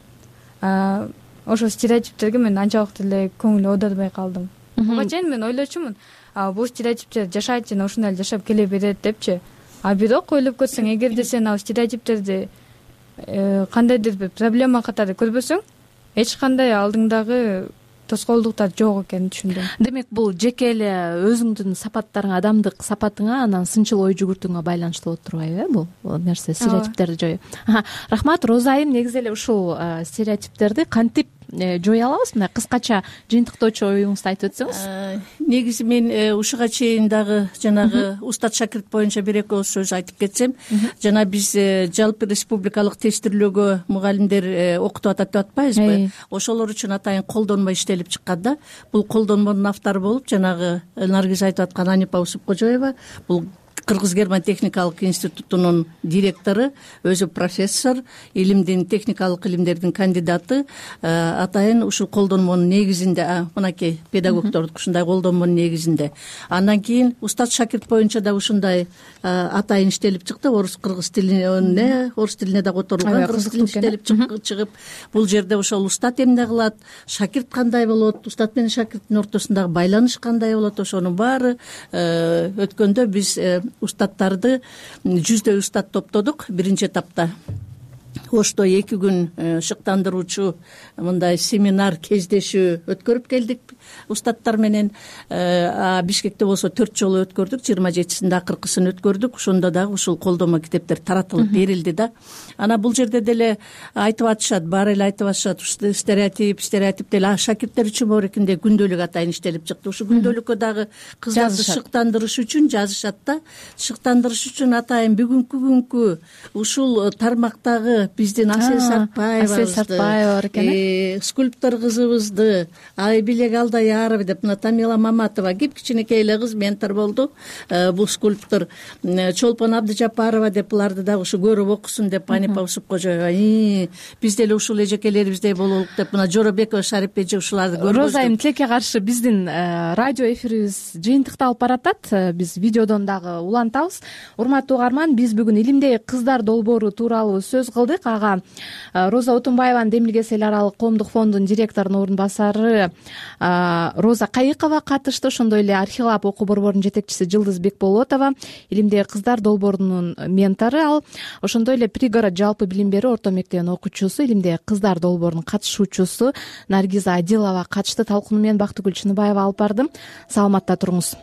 ошол стереотиптерге мен анчалык деле көңүл оодарбай калдым. Буга чейин мен ойлочумун, бул стереотиптер жашайт жана ушундай эле жашап келе берет депчи. Бирок ойлоп көрсөң, эгерде сен ал стереотиптерди кандайдыр бир проблема катары көрбөсөң, эч кандай алдыңдагы тоскоолдуктар жок экенин түшүндүм. Демек, бул жеке эле өзүңдүн сапаттарыңа, адамдык сапатыңа, анан сынчыл ой жүгүртүүңө байланыштуу болуп турбайбы бул нерсе, стереотиптерди жоюу? Рахмат, Розайым, негизи эле ушул стереотиптерди кантип жое алабыз? Мына кыскача жыйынтыктоочу оюңузду айтып өтсөңүз. Негизи мен ушуга чейин дагы жанагы устат шакирт боюнча бир эки ооз сөз айтып кетсем, жана биз жалпы республикалык тестирлөөгө мугалимдер окутуп атат деп атпайбызбы? Ошолор үчүн атайын колдонмо иштелип чыккан да. Бул колдонмонун автору болуп жанагы Наргиза айтып аткан Анипа Усупкожоева, бул Кыргыз-Герман техникалык институтунун директору, өзү профессор, илимдин, техникалык илимдердин кандидаты. Атайын ушул колдонмонун негизинде, мынакей педагогдордук ушундай колдонмонун негизинде. Андан кийин устат шакирт боюнча да ушундай атайын иштелип чыкты. Орус тилине да которулган, кыргыз тилинде иштелип чыгып, бул жерде ошол устат эмне кылат, шакирт кандай болот, устат менен шакирттин ортосундагы байланыш кандай болот, ошонун баары өткөндө биз устаттарды жүздөй устат топтодук биринчи этапта. Ошто 2 күн шыктандыруучу мындай семинар кездешүү өткөрүп келдик устаттар менен. Бишкекте болсо 4 жолу өткөрдүк, 27-синде акыркысын өткөрдүк. Ошондо дагы ушул колдомо китептер таратылып берилди да. Анан бул жерде деле айтып атышат, баары эле айтып атышат, стереотип деле шакирттер үчүн бар экенде күндөлүк атайын иштелип чыкты. Ушу күндөлүккө дагы кыздарды шыктандырыш үчүн жазышат да. Шыктандырыш үчүн атайын бүгүнкү күnkү ушул тармактагы биздин Асель Сартбаевабызды, бар экен, скульптор кызыбызды, Айбилек Алдаярова деп, мына Тамила Маматова кичинекей эле кыз ментор болду. Бул скульптор Чолпон Абдыжапарова деп, буларды дагы ушу көрүп окусун деп, Анипа Усупкожоева биз деле ушул эжекелерибиздей бололук деп, мына Жоробекова Шарип эже ушуларды көргөздү. Розайым, тилекке каршы биздин радио эфирибиз жыйынтыкталып баратат. Биз видеодон дагы улантабыз. Урматтуу угарман, биз бүгүн илимдеги кыздар долбоору тууралуу сөз кылдык. Ага Роза Отунбаеванын Демилгес эл аралык коомдук фондунун директорунун орун басары Роза Кайыкова катышты. Ошондой эле Архилап окуу борборунун жетекчиси Жылдыз Бекболотова, илимдеги кыздар долбоорунун ментору ал. Ошондой эле Пригород жалпы билим берүү орто мектебинин окуучусу, илимдеги кыздар долбоорунун катышуучусу Наргиза Адилова катышты. Талкууну мен Бактыгүл Чыныбаева алып бардым. Саламатта туруңуз.